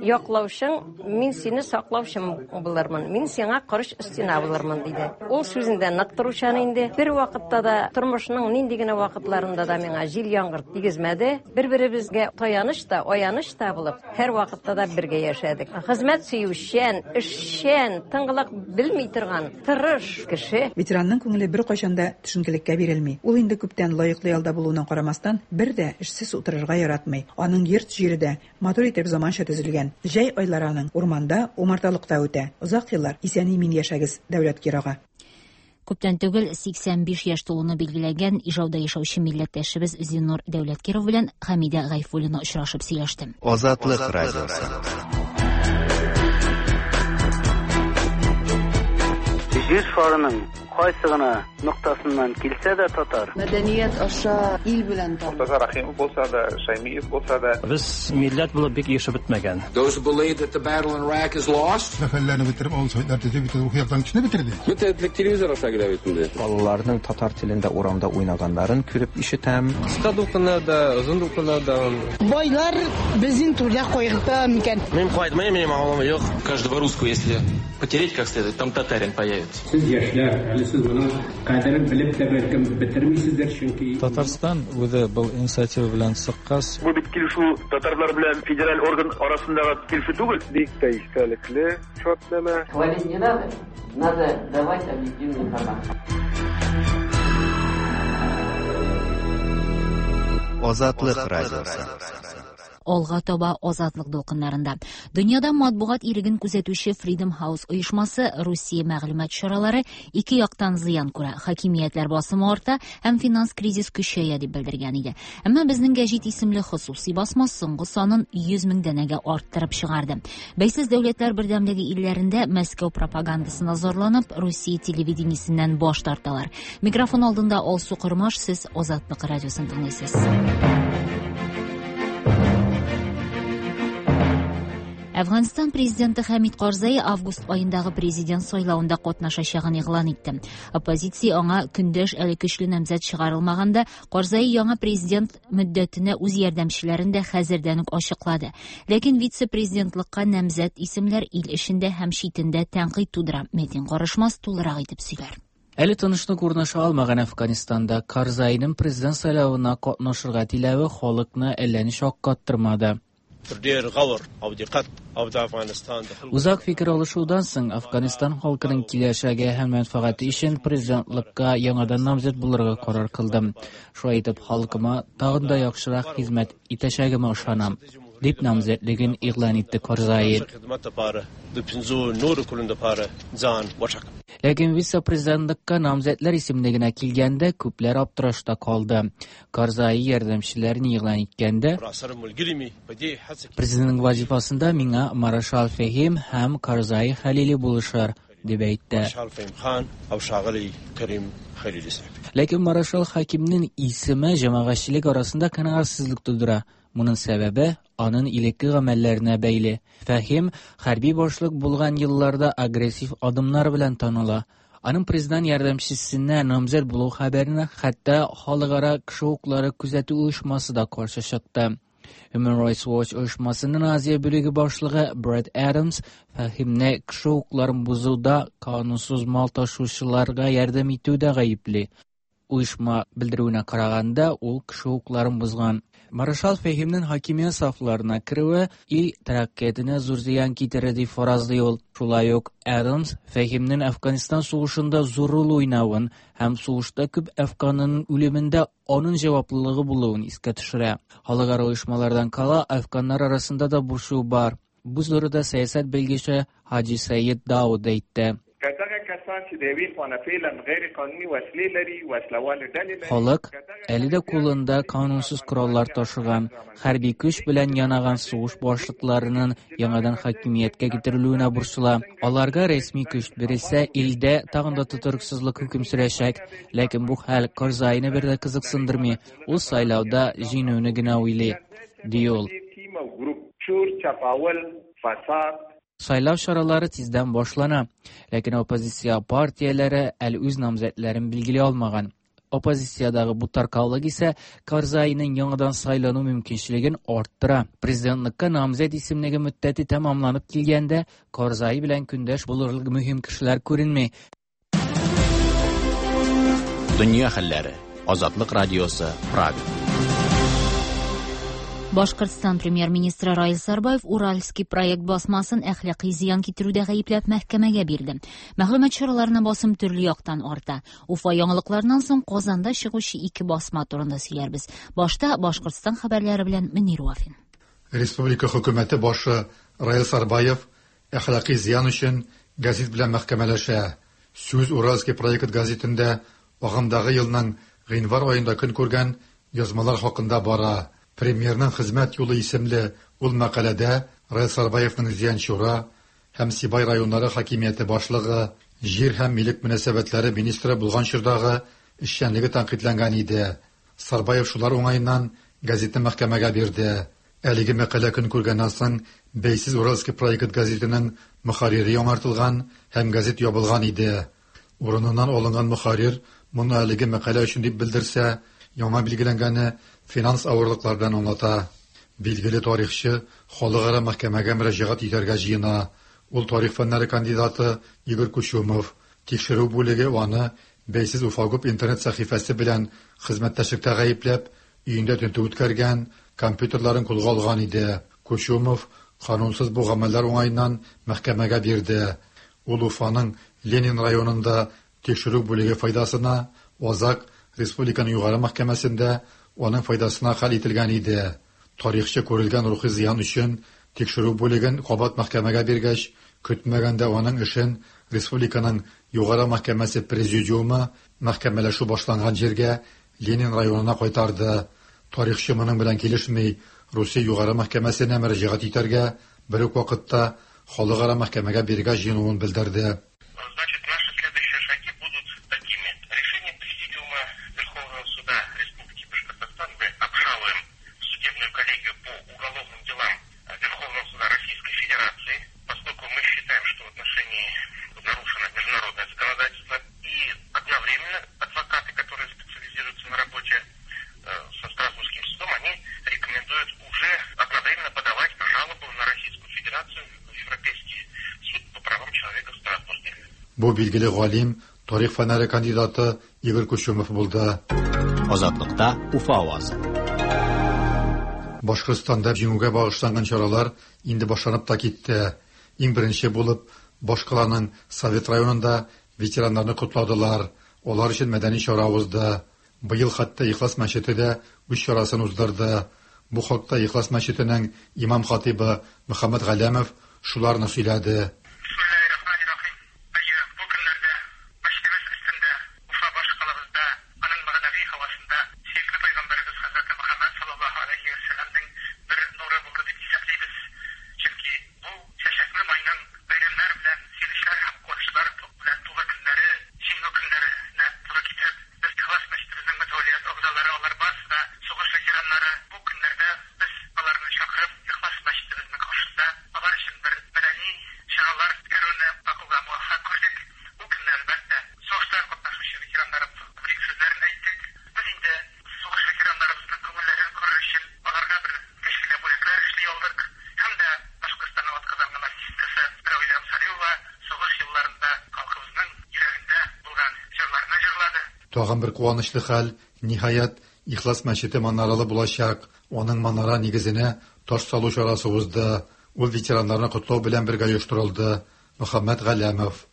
яклаучың, мин сине саклаучым булырмын. Мин сиңа корыч стена булырмын, диде. Ул сүзендә нык торучан инде. Бер вакытта да тормышның нинди генә вакытларында да миңа җил яңгыр тигезмәде. Бер-беребезгә таяныч та, аяныч та булып, һәр вакытта да бергә яшәдек. Хезмәт сөючән, эшчән, тынгылык белми торган, тырыш кеше. Ветеранның күңеле бер кайчан да төшенкелеккә бирелми. Ул инде күптән лаеклы ялда булуына карамастан, бер дә эшсез утырырга яратмый. Аның йорт җире дә матур итеп заманча төзелгән. Җәй айлары аның урманда, умарталыкта үтә. Озак еллар исән-имин яшәгез, Дәүләткир ага. Күптән түгел сиксән биш яшь тулуны билгеләгән Ижауда яшәүче милләттәшебез Зиннур Дәүләткиров белән Хәмидә Гайфуллина очрашып сөйләште. Азатлык радиосы. Җир шарының кайсы гына ноктасыннан килсә дә татар. Мәдәният аша ил белән таныш. Мортаза Рахимов булса да, Шаймиев булса да. Без милләт булып бик ешып бетмәгән. Those who believe that the battle in Iraq is lost. Сәфәрләрне бетереп, авыл советлар төзеп, бөтен рухи яктан кешене бетерде. Бөтен телевизор аша килә бит инде. Балаларның татар телендә урамда уйнаганнарын күреп ишетәм. Кыска дулкыннарда, озын дулкыннарда. Байлар безнең түрдә кайгырта микән? Мин кайтмыйм, минем авылым юк. Каждого русского, если потереть как следует, там татарин появится. Сез яшьләр, әле сез моның кадерен белеп тә бәлкем бетермисездер, чөнки Татарстан үзе был инициатива белән чыккач. Бу бит килешү татарлар белән федераль орган арасындагы килешү түгел. Бик тә истәлекле шартнамә. Хвалить не надо, надо давать объективную информацию. Азатлык радиосы. Алга таба Азатлык дулкыннарында. Дөньяда матбугат иреген күзәтүче Freedom House оешмасы Русия мәгълүмат чаралары ике яктан зыян күрә. Хакимиятләр басымы арта һәм финанс кризис көчәя дип белдергән иде. Әмма безнең гәҗит исемле хосуси басма соңгы санын йөз мең данәгә арттырып чыгарды. Бәйсез дәүләтләр бердәмлеге илләрендә Мәскәү пропагандасына зарланып, Русия телевидениесеннән баш тарталар. Микрофон алдында Алсу Кормаш, сез Азатлык радиосын тыңлыйсыз. Әфганстан президенты Хәмид Карзай август айындагы президент сайлавында катнашачагын игълан итте. Оппозиция аңа көндәш әле көчле намзәт чыгарылмаганда, Карзай яңа президент мөддәтенә үз ярдәмчеләрен дә хәзердән үк ачыклады. Ләкин вице-президентлыкка намзәт исемләр ил эчендә һәм читендә тәнкыйть тудыра. Метин Карышмас тулырак итеп сөйләр. Әле тынычлык урнаша алмаган Әфганстанда Карзайның президент сайлавына катнашырга теләве халыкны әллә ни шаккаттырмады. Узак фикер алышудан соң Әфганстан халкының киләчәге һәм мәнфәгате өчен президентлыкка яңадан намзәт булырга карар кылдым. Шулай итеп халкыма тагын да яхшырак хезмәт итәчәгемә ышанам, дип намзәтлеген игълан итте Карзай. Ләкин вице-президентлыкка намзәтләр исемлегенә килгәндә күпләр аптырашта калды. Карзай ярдәмчеләрен игълан иткәндә, президентның вазифасында миңа Маршал Фәһим һәм Карзай Хәлили булышыр, дип әйтте. Ләкин Маршал Хакимнең исеме җәмәгатьчелек арасында канәгатьсезлек тудыра. Моның сәбәбе аның элекке гамәлләренә бәйле. Фәһим хәрби башлык булган елларда агрессив адымнар белән таныла. Аның президент ярдәмчесенә намзәт булу хәбәренә хәтта халыкара кеше хокуклары күзәтү оешмасы да каршы чыкты. Human Rights Watch оешмасының Азия бүлеге башлыгы Брэд Адамс Фәһимне кеше хокукларын бозуда канунсыз мал ташучыларга ярдәм итүдә гаепли. Оешма белдерүенә караганда, ул кеше хокукларын бозган. Маршал Фәһимнең хакимият сафларына керүе ил тәрәккыятенә зур зыян китерә дип фаразлый ул. Шулай ук Адамс Фәһимнең Әфганстан сугышында зур роль уйнавын һәм сугышта күп әфганның үлемендә аның җаваплылыгы булуын искә төшерә. Халыкара оешмалардан кала әфганнар арасында да борчу бар. Бу турыда сәясәт белгече Хаҗи Сәйед Дауд әйтте. Халык әле дә кулында канунсыз кораллар ташыган, хәрби көч белән янаган сугыш башлыкларының яңадан хакимияткә китерелүенә борчыла. Аларга рәсми көч бирелсә, илдә тагын да тотрыксызлык хөкем сөрәчәк. Ләкин бу хәл Карзайны бер дә кызыксындырмый. Ул сайлауда җиңүне генә уйлый, ди ул. Сайлау чаралары тиздән башлана, ләкин оппозиция партияләре әле үз намзәтләрен билгели алмаган. Оппозициядагы бу таркаулык исә Карзайның яңадан сайлану мөмкинчелеген арттыра. Президентлыкка намзәт исемлеге мөддәте тәмамланып килгәндә, Карзай белән көндәш булырлык мөһим кешеләр күренми. Дөнья хәлләре. Азатлык радиосы, Прага. Башкортстан премьер-министры Раил Сарбаев Уральский проект басмасын әхлаки зыян китерүдә гаепләп мәхкәмәгә бирде. Мәгълүмат чараларына басым төрле яктан арта. Уфа яңалыкларыннан соң Казанда чыгучы ике басма турында сөйләрбез. Башта Башкортстан хәбәрләре белән Мөнир Вафин. Республика хөкүмәте башы Раил Сарбаев әхлаки зыян өчен газет белән мәхкәмәләшә. Сүз Уральский проект газетендә агымдагы елның гыйнвар аенда көн күргән язмалар хакында бара. Премьерның хезмәт юлы исемле ул мәкаләдә Раил Сарбаевның Зиянчура һәм Сибай районнары хакимияте башлыгы, җир һәм милек мөнәсәбәтләре министры булган чордагы эшчәнлеге тәнкыйтьләнгән иде. Сарбаев шулар уңаеннан газетны мәхкәмәгә бирде. Әлеге мәкалә көн күргәннән соң Бәйсез Уральский проект газетының мөхәррире яңартылган һәм газет ябылган иде. Урыныннан алынган мөхәррир моны әлеге мәкалә өчен дип белдерсә, яңа билгеләнгәне финанс авырлыклар белән аңлата. Билгеле тарихчы халыкара мәхкәмәгә мөрәҗәгать итәргә җыена. Ул тарих фәннәре кандидаты Игорь Кучумов. Тикшерү бүлеге аны Бәйсез Уфагуб интернет сәхифәсе белән хезмәттәшлектә гаепләп, өендә тентү үткәргән, компьютерларын кулга алган иде. Кучумов канунсыз бу гамәлләр уңаеннан мәхкәмәгә бирде. Ул Уфаның Ленин районында тикшерү бүлеге файдасына Азак Республиканың югары мәхкәмәсендә аның файдасына хәл ителгән иде. Тарихчы күрелгән рухи зыян өчен тикшерү бүлеген кабат мәхкәмәгә биргәч, көтмәгәндә аның эшен республиканың Югары мәхкәмәсе президиумы мәхкәмәләшү башланган җиргә, Ленин районына кайтарды. Тарихчы моның белән килешми, Русия Югары мәхкәмәсенә мөрәҗәгать итәргә, бер үк вакытта халыкара мәхкәмәгә бирергә җыенуын белдерде. Значит, наши следующие шаги будут такими. Решение Президиума Верховного Суда Республики Башкортостан мы обжалуем в судебную коллегию по уголовным делам Верховного Суда Российской Федерации, поскольку мы считаем, что в отношении нарушено международное законодательство, и одновременно адвокаты, которые специализируются на работе со Страсбургским судом, они рекомендуют уже одновременно подавать жалобу на Российскую Федерацию в Европейский суд по правам человека в Страсбурге. Бу билгеле галим, тарих фәннәре кандидаты Игорь Кучумов булды. Азатлыкта Уфа авазы. Башкортстанда җиңүгә багышланган чаралар инде башланып та китте. Иң беренче булып башкаланың Совет районында ветераннарны котладылар. Алар өчен мәдәни чара узды. Быел хәтта Ихлас мәчете дә үз чарасын уздырды. Бу хакта Ихлас мәчетенең имам хатибы Мөхәммәд Галәмов шуларны сөйләде. Тагын бер куанычлы хәл, ниһаять, Ихлас мәчете манаралы булачак. Аның манара нигезенә таш салу чарасы узды. Ул ветераннарны котлау белән бергә оештырылды. Мөхәммәд Галәмов.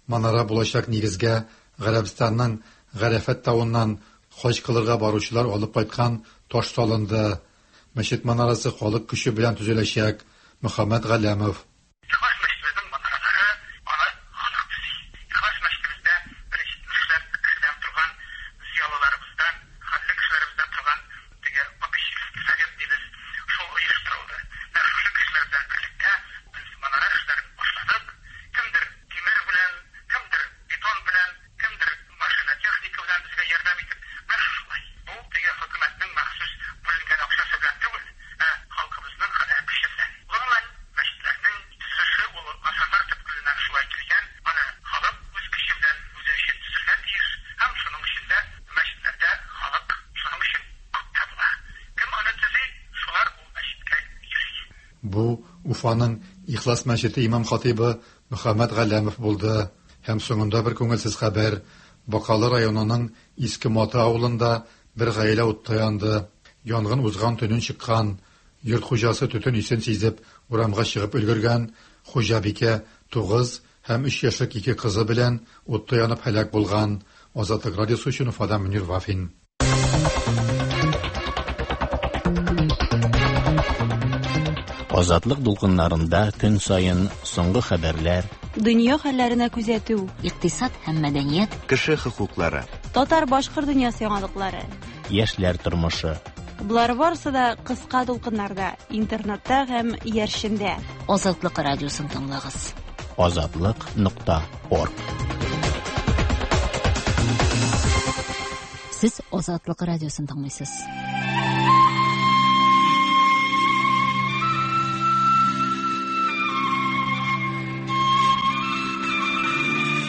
Манара булачак нигезгә Гарәбстанның Гарәфәт тавыннан хаҗ кылырга баручылар алып кайткан таш салынды. Мәчет манарасы халык көче белән төзеләчәк. Мөхәммәд Галәмов. Бу Уфаның Ихлас мәчете имам хатибы Мөхәммәд Галәмов булды. Һәм соңында бер күңелсез хәбәр. Бакалы районының Иске Маты авылында бер гаилә утта янды. Янгын узган төнен чыккан. Йорт хуҗасы төтен исен сизеп, урамга чыгып өлгергән. Хуҗабикә тугыз һәм өч яшьлек ике кызы белән утта янып һәлак булган. Азатлык радиосы өчен Уфадан Мөнир Вафин. Азатлык дулкыннарында көн саен соңгы хәбәрләр, дөнья хәлләренә күзәтү, икътисад һәм мәдәният, кеше хокуклары, татар-башкорт дөньясы яңалыклары, яшьләр тормышы. Болар барысы да кыска дулкыннарда, интернетта һәм иярчендә. Азатлык радиосын тыңлагыз. Азатлык нокта орг. Сез Азатлык радиосын тыңлыйсыз.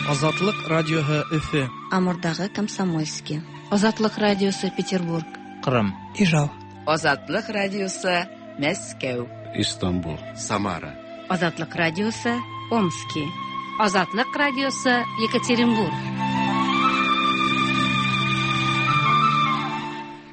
Азатлык радиоһы Өфө. Амурдагы Комсомольский. Азатлык радиосы Петербург. Кырым. Ижау. Азатлык радиосы Мәскәү. Истанбул. Самара. Азатлык радиосы Омски. Азатлык радиосы Екатеринбург.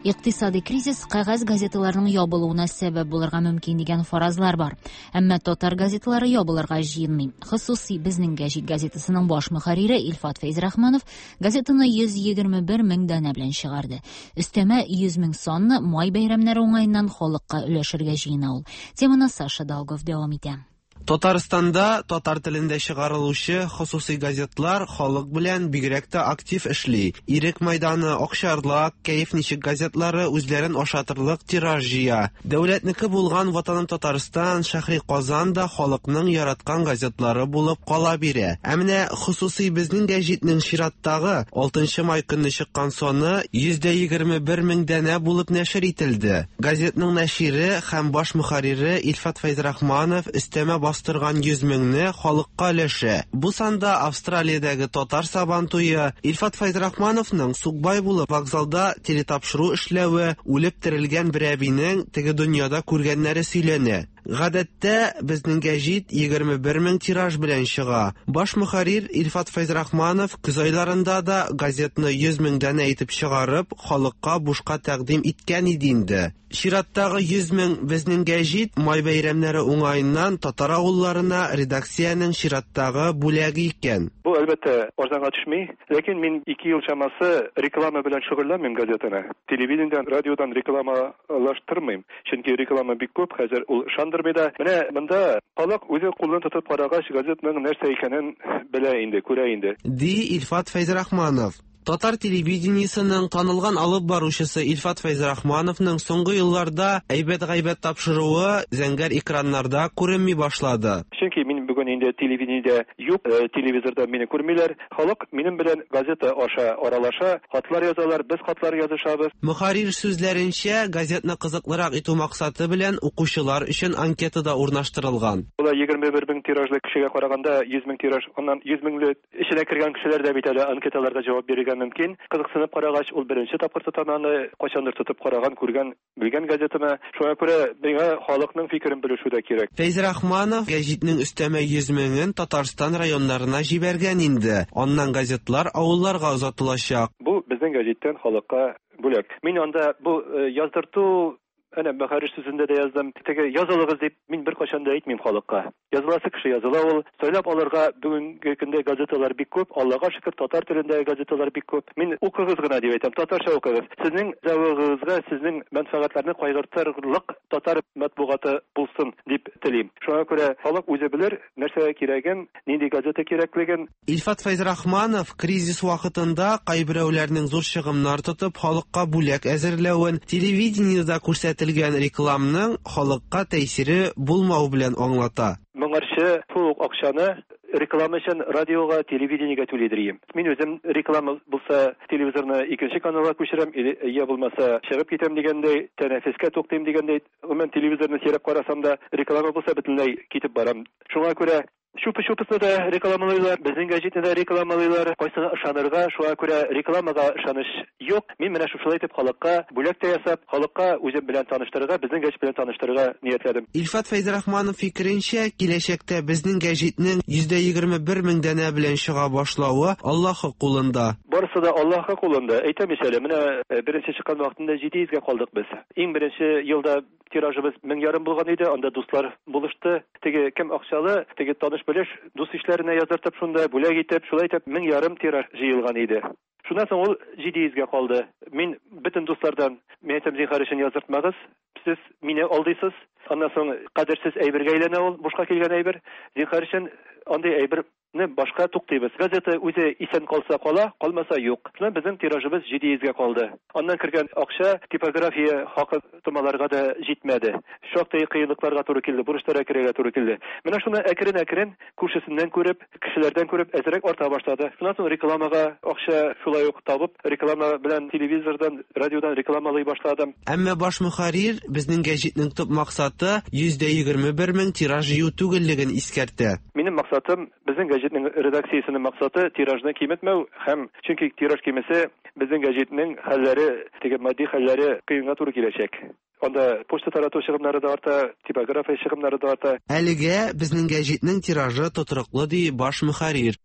Икътисади кризис кәгазь газеталарының ябылуына сәбәп булырга мөмкин дигән фаразлар бар. Әмма татар газеталары ябылырга җыенмый. Хосуси Безнең гәҗит газетасының баш мөхәррире Илфат Фәйзрахманов газетаны йөз егерме бер мең данә белән чыгарды. Өстәмә йөз мең санны май бәйрәмнәре уңаеннан халыкка өләшергә җыена ул. Теманы Саша Долгов дәвам итә. Татарстанда татар телендә чыгарылучы хосуси газетлар халык белән бигрәк тә актив эшли. Ирек майданы, Акчарлак, Кәеф ничек газетлары үзләрен ашатырлык тираж җыя. Дәүләтнеке булган Ватаным Татарстан, Шәһри Казан да халыкның яраткан газетлары булып кала бирә. Ә менә хосуси Безнең гәҗитнең чираттагы алтынчы май көнне чыккан саны йөз егерме бер мең данә булып нәшер ителде. Газетның нәшире һәм баш мөхәррире Илфат Фәйзрахманов өстәмә бастырган йөз меңне халыкка өләшә. Бу санда Австралиядәге татар сабантуе, Илфат Фәйзрахмановның Сукбай булып вокзалда телетапшыру эшләве, үлеп терелгән бер әбинең теге дөньяда күргәннәре сөйләнә. Гадәттә Безнең гәҗит егерме бер мең тираж белән чыга. Баш мөхәррир Илфат Фәйзрахманов көз айларында да газетны йөз мең данә итеп чыгарып, халыкка бушка тәкъдим иткән иде инде. Чираттагы йөз мең Безнең гәҗит май бәйрәмнәре уңаеннан татар авылларына редакциянең чираттагы бүләге икән. Бу әлбәттә арзанга төшми, ләкин мин ике ел чамасы реклама белән шөгыльләнмим газетаны. Телевидениедән, радиодан рекламалаштырмыйм, чөнки реклама бик күп, хәзер ул ышандырмый да. Менә монда халык үзе кулын тотып карагач, газетның нәрсә икәнен белә инде, күрә инде. Ди Илфат Фәйзрахманов. Татар телевидениесының танылган алып баручысы Илфат Фәйзрахмановның соңгы елларда әйбәт-гайбәт тапшыруы зәңгәр экраннарда күренми башлады. Чөнки мин бүген инде телевидениедә юк, телевизорда мине күрмиләр. Халык минем белән газета аша аралаша, хатлар язалар, без хатлар язышабыз. Мөхәррир сүзләренчә, газетны кызыклырак итү максаты белән укучылар өчен анкета да урнаштырылган. Була егерме бер мең тиражлы кешегә караганда йөз мең тираж, аннан йөз меңле эченә кергән кешеләр дә бит әле анкеталарга җавап бирергә мөмкин. Кызыксынып карагач, ул беренче тапкыр тотананы кайчандыр тотып караган, күргән, белгән газетаны. Шуңа күрә миңа халыкның фикерен белешү дә кирәк. Фәйзрахманов гәҗитнең өстәмә йөз меңен Татарстан районнарына җибәргән инде. Аннан газетлар авылларга озатылачак. Бу безнең гәҗиттән халыкка бүләк. Мин анда бу яздырту, әнә мөхәррир сүзендә дә яздым. Теге язылыгыз дип мин беркайчан да әйтмим халыкка. Языласы кеше языла ул. Сайлап алырга бүгенге көндә газеталар бик күп. Аллага шөкер, татар телендәге газеталар бик күп. Мин укыгыз гына дип әйтәм, татарча укыгыз. Сезнең зәвыгыгызга, сезнең мәнфәгатьләрне кайгыртырлык татар матбугаты булсын дип телим. Шуңа күрә халык үзе белер нәрсә кирәген, нинди газета кирәклеген. Илфат Фәйзрахманов кризис вакытында кайберәүләрнең зур чыгымнар тотып халыкка бүләк әзерләвен, телевидениедә күрсәтелгән рекламның халыкка тәэсире булмау белән аңлата. Моңарчы шул ук акчаны реклама өчен радиога, телевидениегә түлидер идем. Мин үзем реклама булса телевизорны икенче каналга күчерәм, я булмаса чыгып китәм дигәндәй, тәнәфескә туктыйм дигәндәй, гомумән телевизорны сирәп карасам да, реклама булса бөтенләй китеп барам. Шуңа күрә Чупы-чупысны да рекламалыйлар, безнең гәҗитне дә рекламалыйлар. Кайсына ышанырга, шуңа күрә рекламага ышаныч юк. Мин менә шушылай итеп халыкка бүләк тә ясап, халыкка үзем белән таныштырырга, безнең гәҗит белән таныштырырга ниятләдем. Илфат Фәйзрахманов фикеренчә, киләчәктә безнең гәҗитнең йөз егерме бер мең данә белән чыга башлавы Аллаһы кулында. Барысы да Аллаһы кулында. Әйтәм ич әле, менә беренче чыккан вакытында җиде йөзгә калдык без. Иң беренче елда тиражыбыз мең ярым булган иде, анда дуслар булышты. Теге кем акчалы, теге таныш белеш дус ишләренә яздыртып, шунда бүләк итеп, шулай итеп мең ярым тираж җыелган иде. Шуннан соң ул җиде йөзгә калды. Мин бөтен дуслардан, мин әйтәм, зинһар өчен яздыртмагыз, сез мине алдыйсыз. Аннан соң кадерсез әйбергә әйләнә ул, бушка килгән әйбер. Зинһар өчен андый әйбер Рекламаны башка туктыйбыз. Газета үзе исән калса кала, калмаса юк. Шуннан безнең тиражыбыз җиде йөзгә калды. Аннан кергән акча типография хакы томаларга да җитмәде. Шактый кыенлыкларга туры килде, бурычларга керергә туры килде. Менә шуны әкрен-әкрен күршесеннән күреп, кешеләрдән күреп әзрәк арта башлады. Шуннан соң рекламага акча шулай ук табып, реклама белән телевизордан, радиодан рекламалый башладым. Әмма баш мөхәррир безнең гәҗитнең төп максаты йөздә егерме бер мең тираж җыю түгеллеген искәртә. Минем максатым, безнең гәҗитнең редакциясенең максаты тиражны киметмәү һәм чөнки тираж кимесе безнең гәҗитнең хәлләре, теге матди хәлләре кыенга туры киләчәк. Анда почта тарату чыгымнары да арта, типография чыгымнары да арта. Әлегә безнең гәҗитнең тиражы тотрыклы, ди баш мөхәррир.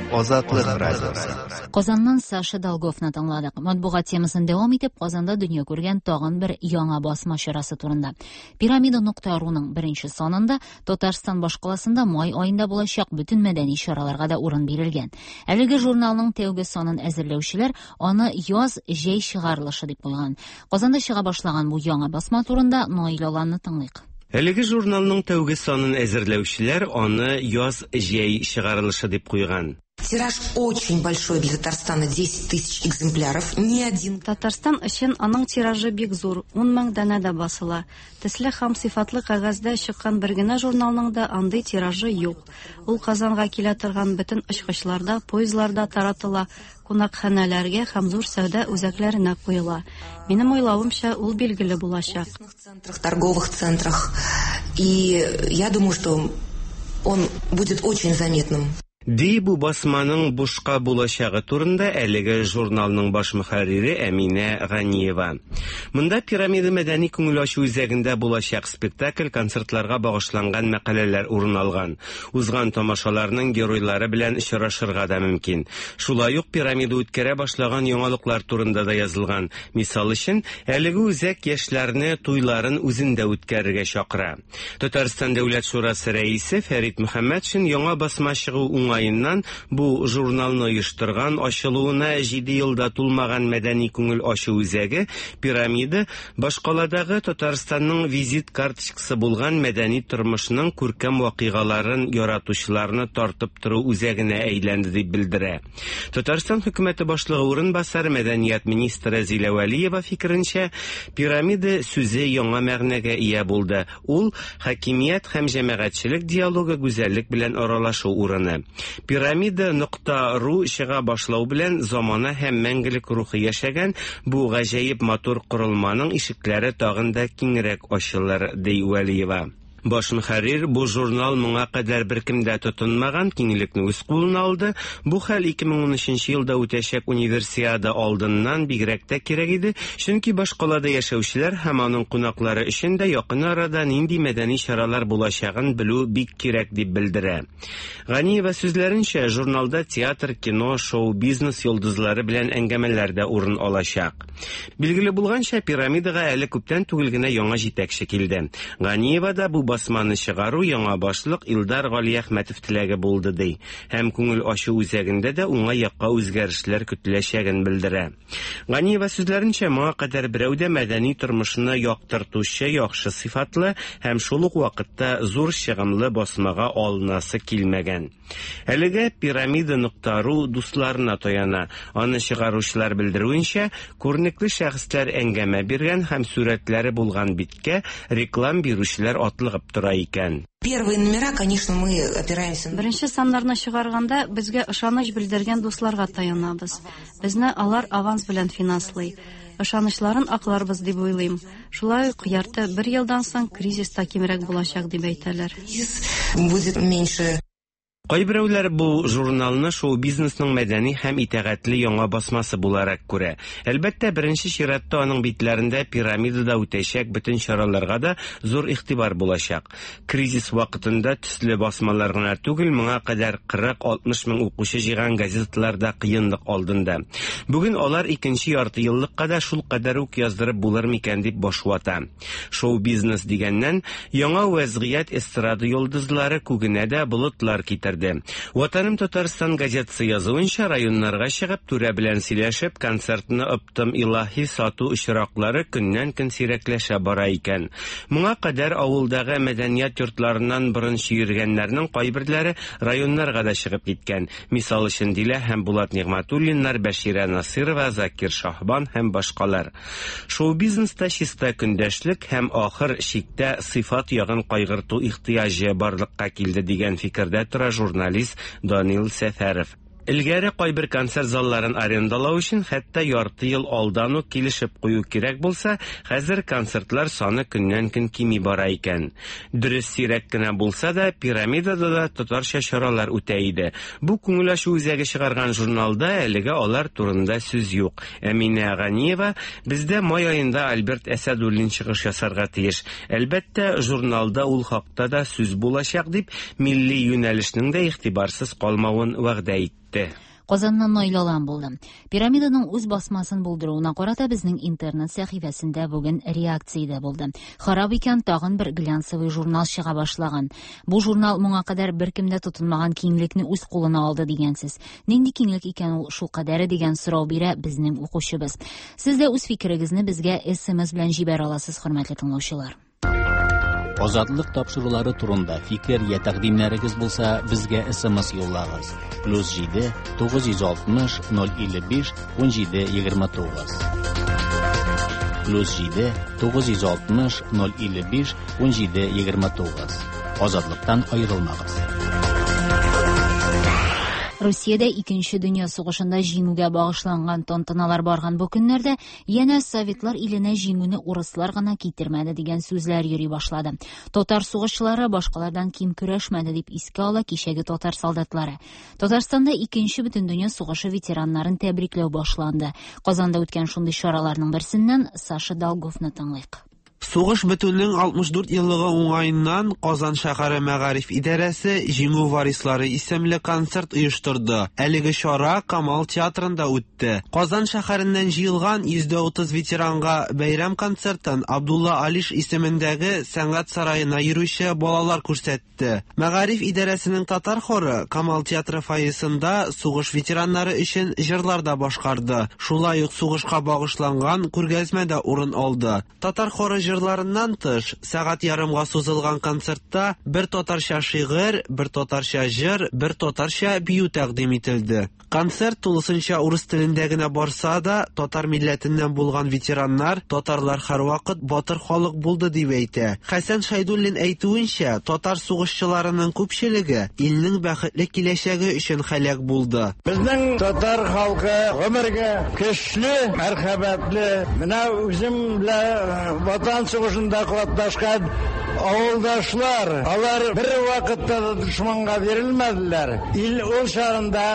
Азатлык радиосы. Казаннан Саша Долговны тыңладык. Матбугат темасын дәвам итеп, Казанда дөнья күргән тагын бер яңа басма чарасы турында. Пирамида нокта руның беренче санында Татарстан башкаласында май аенда булачак бөтен мәдәни чараларга да урын бирелгән. Әлеге журналның тәүге санын әзерләүчеләр аны яз җәй чыгарылышы дип куйган. Казанда чыга башлаган бу яңа басма турында Наил Аланны тыңлыйк. Әлеге журналның тәүге санын әзерләүчеләр аны яз җәй чыгарылышы дип куйган. Тираж очень большой для Татарстана, десять тысяч экземпляров. Ни один. Татарстан өчен аның тиражы бик зур, ун мең данә дә басыла. Төсле һәм сыйфатлы кәгазьдә чыккан бер генә журналның да андый тиражы юк. Ул Казанга килә торган бөтен очкычларда, поездларда таратыла, кунакханәләргә һәм зур сәүдә үзәкләренә куела. Минем уйлавымча, ул билгеле булачак. В торговых центрах. И я думаю, что он будет очень заметным. Ди бу басманың бушка булачагы турында әлеге журналның баш мөхәррире Әминә Ганиева. Монда Пирамида мәдәни күңел ачу үзәгендә булачак спектакль, концертларга багышланган мәкаләләр урын алган. Узган тамашаларның геройлары белән очрашырга да мөмкин. Шулай ук Пирамида үткәрә башлаган яңалыклар турында да язылган. Мисал өчен, әлеге үзәк яшьләрне туйларын үзендә үткәрергә чакыра. Татарстан Дәүләт Шурасы рәисе Фәрит Мөхәммәтшин яңа басма чыгу уңаеннан бу журналны оештырган, ачылуына җиде елда тулмаган мәдәни күңел ачу үзәге Пирамида башкаладагы Татарстанның визит карточкасы булган мәдәни тормышның күркәм вакыйгаларын яратучыларны тартып тору үзәгенә әйләнде дип белдерә. Татарстан хөкүмәте башлыгы урынбасары мәдәният министры Зилә Вәлиева фикеренчә, Пирамида сүзе яңа мәгънәгә ия булды. Ул хакимият һәм җәмәгатьчелек диалогы, гүзәллек белән аралашу урыны. Пирамида нокта ру чыга башлау белән замана һәм мәңгелек рухы яшәгән бу гаҗәеп матур корылманың ишекләре тагын да киңрәк ачылыр, ди Вәлиева. Баш мөхәррир бу журнал моңа кадәр беркем дә тотынмаган киңлекне үз кулына алды. Бу хәл ике мең унөченче елда үтәчәк универсиада алдыннан бигрәк тә кирәк иде, чөнки башкалада яшәүчеләр һәм аның кунаклары өчен дә якын арада нинди мәдәни чаралар булачагын белү бик кирәк дип белдерә. Ганиева сүзләренчә, журналда театр, кино, шоу-бизнес йолдызлары белән әңгәмәләр дә урын алачак. Билгеле булганча, Пирамидага әле күптән түгел генә яңа җитәкче килде. Ганиева да бу басманы чыгару яңа башлык Илдар Галиәхмәтов теләге булды ди. Һәм күңел ачу үзәгендә дә уңай якка үзгәрешләр көтеләчәген белдерә. Ганиева сүзләренчә, моңа кадәр берәү дә мәдәни тормышны яктыртучы яхшы сыйфатлы һәм шул ук вакытта зур чыгымлы басмага алынасы килмәгән. Әлегә Пирамида нокта ру дусларына таяна. Аны чыгаручылар белдерүенчә, күренекле шәхесләр әңгәмә биргән һәм сүрәтләре булган биткә реклам бирүчеләр атлыгып тора икән. Первые номера, конечно, мы опираемся. Беренче саннарны чыгарганда безгә ышаныч белдергән дусларга таянабыз. Безне алар аванс белән финанслый. Ышанычларын акларбыз дип уйлыйм. Шулай ук ярты бер елдан соң кризис та кимрәк булачак дип әйтәләр. Кризис будет меньше. Кайберәүләр бу журналны шоу-бизнесның мәдәни һәм итагатьле яңа басмасы буларак күрә. Әлбәттә, беренче чиратта аның битләрендә Пирамидада үтәчәк бөтен чараларга да зур игътибар булачак. Кризис вакытында төсле басмалар гына түгел, моңа кадәр кырык-алтмыш мең укучы җыйган газеталар да кыенлык алдында. Бүген алар икенче ярты еллыкка да шул кадәр үк яздырып булыр микән дип баш вата. Шоу-бизнес дигәннән, яңа вәзгыять эстрада йолдызлары күгенә дә болытлар китерде. белдерде. Ватаным Татарстан газетасы язуынча, районнарга чыгып, түрә белән сөйләшеп, концертны оптом илаһи сату очраклары көннән-көн сирәкләшә бара икән. Моңа кадәр авылдагы мәдәният йортларыннан борын чөергәннәрнең кайберләре районнарга да чыгып киткән. Мисал өчен Дилә һәм Булат Нигъмәтуллиннар, Бәширә Насырова, Закир Шаһбан һәм башкалар. Шоу-бизнеста чиста көндәшлек һәм ахыр чиктә сыйфат ягын кайгырту ихтыяҗы барлыкка килде дигән фикердә тора журналист Данил Сәфәров. Элгәре кайбер концерт залларын арендалау өчен хәтта ярты ел алдан ук килешеп кую кирәк булса, хәзер концертлар саны көннән-көн кими бара икән. Дөрес, сирәк кенә булса да, Пирамидада да татарча чаралар үтә иде. Бу күңел ачу үзәге чыгарган журналда әлегә алар турында сүз юк. Әминә Ганиева: "Бездә май аенда Альберт Әсәдуллин чыгыш ясарга тиеш. Әлбәттә, журналда ул хакта да сүз булачак", дип, милли юнәлешнең дә игътибарсыз калмавын вәгъдә итте. Казаннан Наил Алан булды. Пирамиданың үз басмасын булдыруына карата безнең интернет сәхифәсендә бүген реакция дә булды. Харап икән, тагын бер глянцевый журнал чыга башлаган. Бу журнал моңа кадәр беркем дә тотынмаган киңлекне үз кулына алды дигәнсез. Нинди киңлек икән ул шул кадәре дигән сорау бирә безнең укучыбыз. Сез дә үз фикерегезне безгә эс эм эс белән җибәрә аласыз, хөрмәтле тыңлаучылар. Азатлык тапшырулары турында фикер я тәкъдимнәрегез булса, безгә эс эм эс юллагыз. Плюс җиде тугыз йөз алтмыш ноль илле биш ун җиде егерме тугыз. Плюс җиде тугыз йөз алтмыш ноль илле биш ун җиде егерме тугыз. Азатлыктан аерылмагыз. Русиядә Икенче дөнья сугышында җиңүгә багышланган тантаналар барган бу көннәрдә янә советлар иленә җиңүне урыслар гына китермәде дигән сүзләр йөри башлады. Татар сугышчылары башкалардан ким көрәшмәде дип искә ала кичәге татар солдатлары. Татарстанда Икенче бөтендөнья сугышы ветераннарын тәбрикләү башланды. Казанда үткән шундый чараларның берсеннән Саша Долговны тыңлыйк. Сугыш бетүнең алтмыш дүрт еллыгы уңаеннан Казан шәһәре мәгариф идарәсе Җиңү варислары исемле концерт оештырды. Әлеге чара Камал театрында үтте. Казан шәһәреннән җыелган йөз дә утыз ветеранга бәйрәм концертын Абдулла Алиш исемендәге сәнгать сараена йөрүче балалар күрсәтте. Мәгариф идарәсенең татар хоры Камал театры фойесында сугыш ветераннары өчен җырлар да башкарды. Шулай ук сугышка багышланган күргәзмә дә урын алды. Татар хоры җырларыннан тыш, сәгать ярымга сузылган концертта бер татарча шигырь, бер татарча җыр, бер татарча бию тәкъдим ителде. Концерт тулысынча урыс телендә генә барса да, татар милләтеннән булган ветераннар татарлар һәрвакыт батыр халык булды дип әйтә. Хәсән Шәйдуллин әйтүенчә, татар сугышчыларының күпчелеге илнең бәхетле киләчәге өчен һәлак булды. Безнең татар халкы гомергә көчле, мәрхәмәтле. Менә үзем белән Ватан сугышында катнашкан авылдашлар, алар бер вакытта да дошманга бирелмәделәр. Ил ул чагында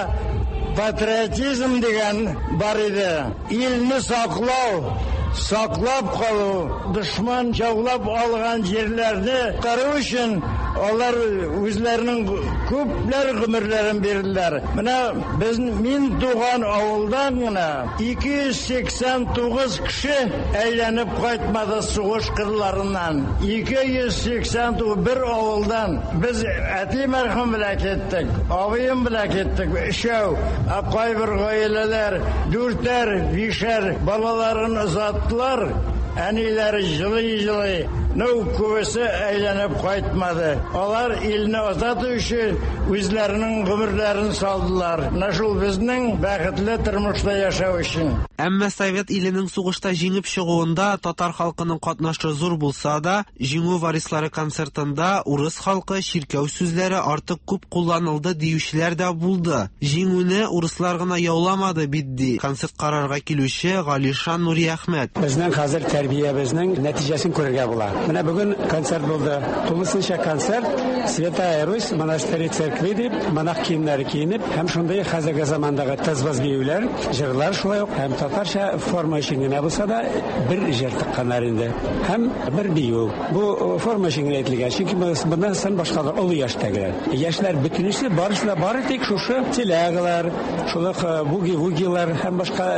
патриотизм дигән бар иде. Илне саклау, саклап калу, дошман яулап алган җирләрне карау өчен алар үзләренең күпләр гомерләрен бирделәр. Менә без мин туган авылдан гына ике йөз сиксән тугыз кеше әйләнеп кайтмады сугыш кырларыннан. ике йөз сиксән тугыз бер авылдан. Без әти мәрхүм белән киттек, абыем белән киттек, өчәү. Ә кайбер гаиләләр дүртәр, бишәр балаларын озаттылар. Әниләре җылый-җылый. Ну, күбесе әйләнеп кайтмады. Алар илне азат өчен үзләренең гомерләрен салдылар. Менә шул безнең бәхетле тормышта яшәү өчен. Әмма Совет иленең сугышта җиңеп чыгуында татар халкының катнашы зур булса да, Җиңү варислары концертында урыс халкы чиркәү сүзләре артык күп кулланылды диючеләр дә булды. Җиңүне урыслар гына яуламады бит, ди концерт карарга килүче Галишан Нуриәхмәт. Безнең хәзер тәрбиябезнең нәтиҗәсен күрергә була. Менә бүген концерт булды. Тулысынча концерт Святая Русь монастыре церкви дип, монах киемнәре киенеп, һәм шундый хәзерге замандагы тыз-быз биюләр, җырлар шулай ук, һәм татарча форма өчен генә булса да бер җыр тыкканнар инде. Һәм бер бию. Бу форма өчен генә әйтелгән, чөнки моннан соң башкалар олы яшьтәгеләр. Яшьләр бөтенесе барысы да бары тик шушы телягалар, шул ук буги-вугилар һәм башка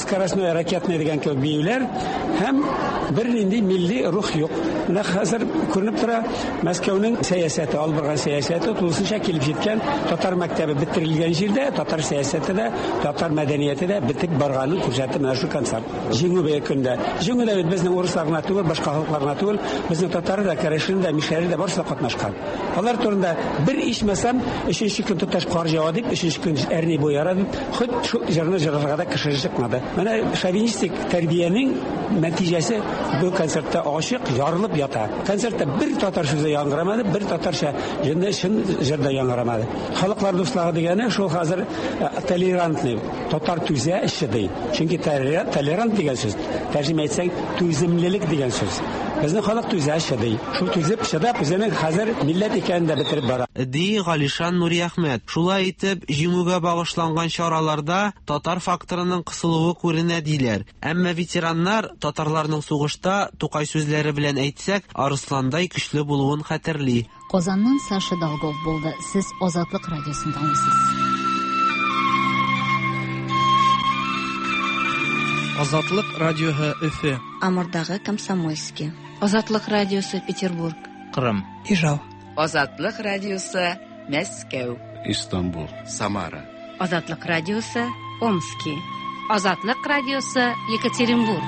скоростной ракетный дигән кебек биюләр һәм бер нинди милли Милли рух юк. Менә хәзер күренеп тора, Мәскәүнең сәясәте, алып барган сәясәте тулысынча килеп җиткән. Татар мәктәбе бетерелгән җирдә татар сәясәте дә, татар мәдәнияте дә бетеп барганын күрсәтте менә шул концерт. Җиңү бөек көндә. Җиңү дә бит безнең урыслар гына түгел, башка халыклар гына түгел, безнең татары да, керәшен дә, мишәре дә барысы да катнашкан. Алар турында бер ичмасам өченче көн тоташ кар ява дип, өченче көн әрни буй яра дип, хот шул җырны җырларга да кеше чыкмады. Менә шовинистик тәрбиянең нәтиҗәсе бу концертта ачык ярылып ята. Концертта бер татар сүзе яңгырамады, бер татарча җында чын җыр да яңгырамады. Халыклар дуслыгы дигәне шул хәзер толерантный, татар түзә чыдый. Чөнки толерант дигән сүз, тәрҗемә итсәң, түземлелек дигән сүз. Безнең халык түзә чыдый. Шул түзеп чыдап, үзенең хәзер милләт икәнен дә бетереп бара. Ди Галишан Нуриәхмәт. Шулай итеп, җиңүгә багышланган чараларда татар факторының кысылуы күренә диләр. Әмма ветераннар татарларның сугышта, Тукай сүзләре белән әйтсәк, арысландай көчле булуын хәтерли. Казаннан Саша Долгов булды. Сез Азатлык радиосын тыңлыйсыз. Азатлык радиоһы Өфе. Амурдагы Комсомольский. Азатлык радиосы Петербург. Кырым. Ижау. Азатлык радиосы Мәскәү. Истанбул. Самара. Азатлык радиосы Омски. Азатлык радиосы Екатеринбург.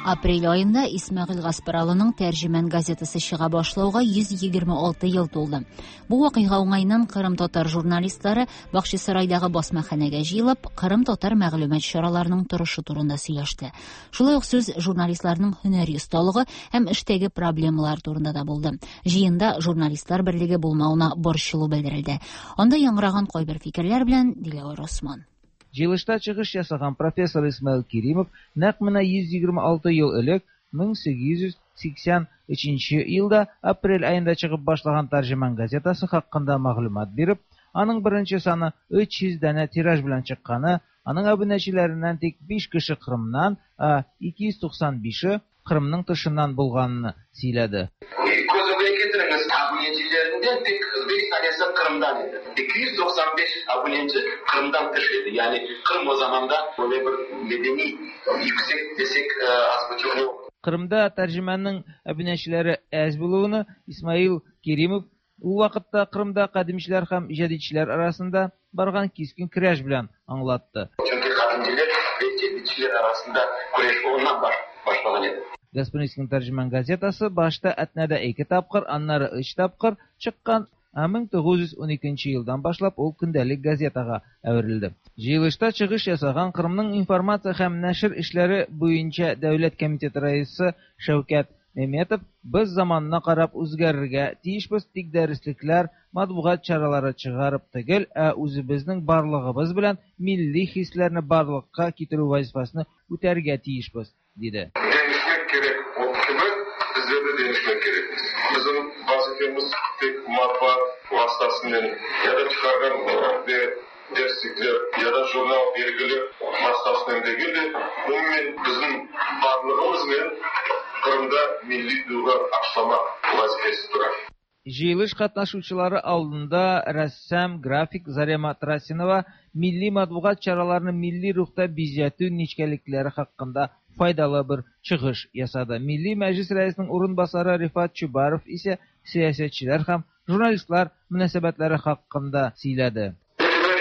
Апрель аенда Исмәгыйль Гаспаралының Тәрҗемән газетасы чыга башлауга йөз егерме алты ел тулды. Бу вакыйга уңаеннан Кырым татар журналистлары Бахчисарайдагы басмаханәгә җыелып, Кырым татар мәгълүмат чараларының торышы турында сөйләште. Шулай ук сүз журналистларның һөнәри осталыгы һәм эштәге проблемалар турында да булды. Җыенда журналистлар берлеге булмавына борчылу белдерелде. Анда яңгыраган кайбер фикерләр белән Диләвәр Осман. Җыелышта чыгыш ясаган профессор Исмаил Керимов нәкъ менә йөз егерме алты ел элек мең сигез йөз сиксән өченче елда апрель аенда чыгып башлаган Тәрҗеман газетасы хакында мәгълүмат биреп, аның беренче саны өч йөз данә тираж белән чыкканы, аның абунәчеләреннән тик биш кеше Кырымнан, ә ике йөз туксан бише Кырымның тышыннан булганын сөйләде. Tanesi Kırım'dan idi. iki yüz doksan beş abonenti Kırım'dan dışı idi. Yani Kırım o zaman da böyle bir medeni yüksek desek az buçuk yok. Kırım'da tercümanın abonentçileri az bulуını İsmail Kerimov u vaqtda Kırım'da qadimchilar ham jadidchilar arasında bargan keskin kurash bilan anlattı. Çünkü qadimchilar ve jadidchilar arasında kurash ondan baş, başlagan edi. Gasprinskiyning Tercüman gazetası başta Әтнәдә ике тапкыр, аннары өч тапкыр чыккан. мең тугыз йөз уникенче елдан башлап ул көндәлек газетага әверелде. Җыелышта чыгыш ясаган Кырымның информация һәм нәшер эшләре буенча дәүләт комитеты рәисе Шәүкәт Меметов без заманына карап үзгәрергә тиешбез, тик дәреслекләр, матбугат чаралары чыгарып түгел, ә үзебезнең барлыгыбыз белән милли хисләрне барлыкка китерү вазифасын үтәргә тиешбез, диде. Değişmek gerek o gibi bizler de değişmek gerekmiz. Bizim vazifemiz tek matbaa vasıtasından ya da çıkargan ve derslikler ya da jurnal belgili vasıtasından değil de umumen bizim varlığımızla Kırım'da milli duygu aşlama vazifesi durar. Җыелыш катнашучылары алдында рәссам, график Зарема Трасинова милли матбугат чараларын милли рухта бизәтү нечкәлекләре хакында файдалы бер чыгыш ясады. Милли Мәҗлис рәисенең урынбасары Рифат Чубаров исә сәясәтчеләр һәм журналистлар мөнәсәбәтләре хакында сөйләде.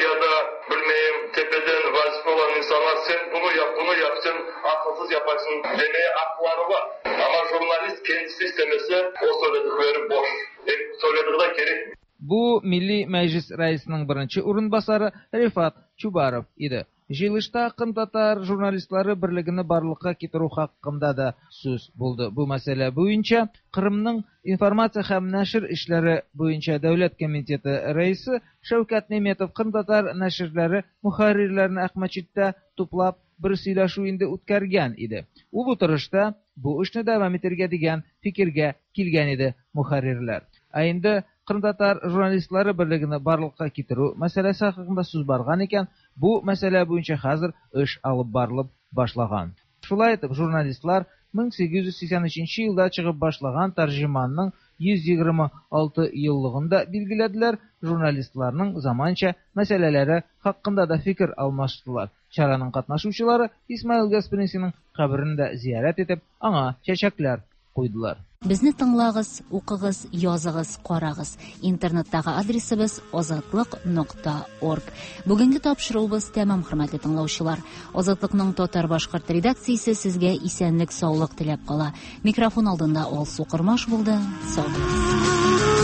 Ya da bilmeyim tepeden vazife olan insanlar sen bunu yap bunu yap sen akılsız yaparsın demeye hakları var. Ama jurnalist kendisi istemese o söyledikleri boş. E, söylediği de gerek. Bu Milli Meclis Reisinin birinci урынбасары Рифат Чубаров иде. Җыелышта Кырым татар журналистлары берлегене барлыкка китерү хакында да сүз булды. Бу мәсьәлә буенча Кырымның информация һәм нәшер эшләре буенча дәүләт комитеты рәисе Шәүкәт Неметов Кырым татар нәширләре мөхәррирләрен Әхмәтчиттә туплап бер сөйләшү инде үткәргән иде. Ул утырышта бу эшне дәвам итәргә дигән фикергә килгән иде мөхәррирләр. Ә инде Кырым татар журналистлары берлегене барлыкка китерү мәсьәләсе хакында сүз барган икән, бу мәсьәлә буенча хәзер эш алып барылып башлаган. Шулай итеп, журналистлар мең сигез йөз сиксән өченче елда чыгып башлаган Тәрҗеманның йөз егерме алты еллыгын да билгеләделәр, журналистларның заманча мәсьәләләре хакында да фикер алмаштылар. Чараның катнашучылары Исмаил Гаспринскийның каберен дә зиярәт итеп, аңа чәчәкләр куйдылар. Безне тыңлагыз, укыгыз, языгыз, карагыз. Интернеттагы адресыбыз азатлык нокта орг. Бүгенге тапшыруыбыз тәмам, хөрмәтле тыңлаучылар. Азатлыкның татар-башкорт редакциясе сезгә исәнлек, саулык теләп кала. Микрофон алдында Алсу Кормаш булды. Сау булыгыз.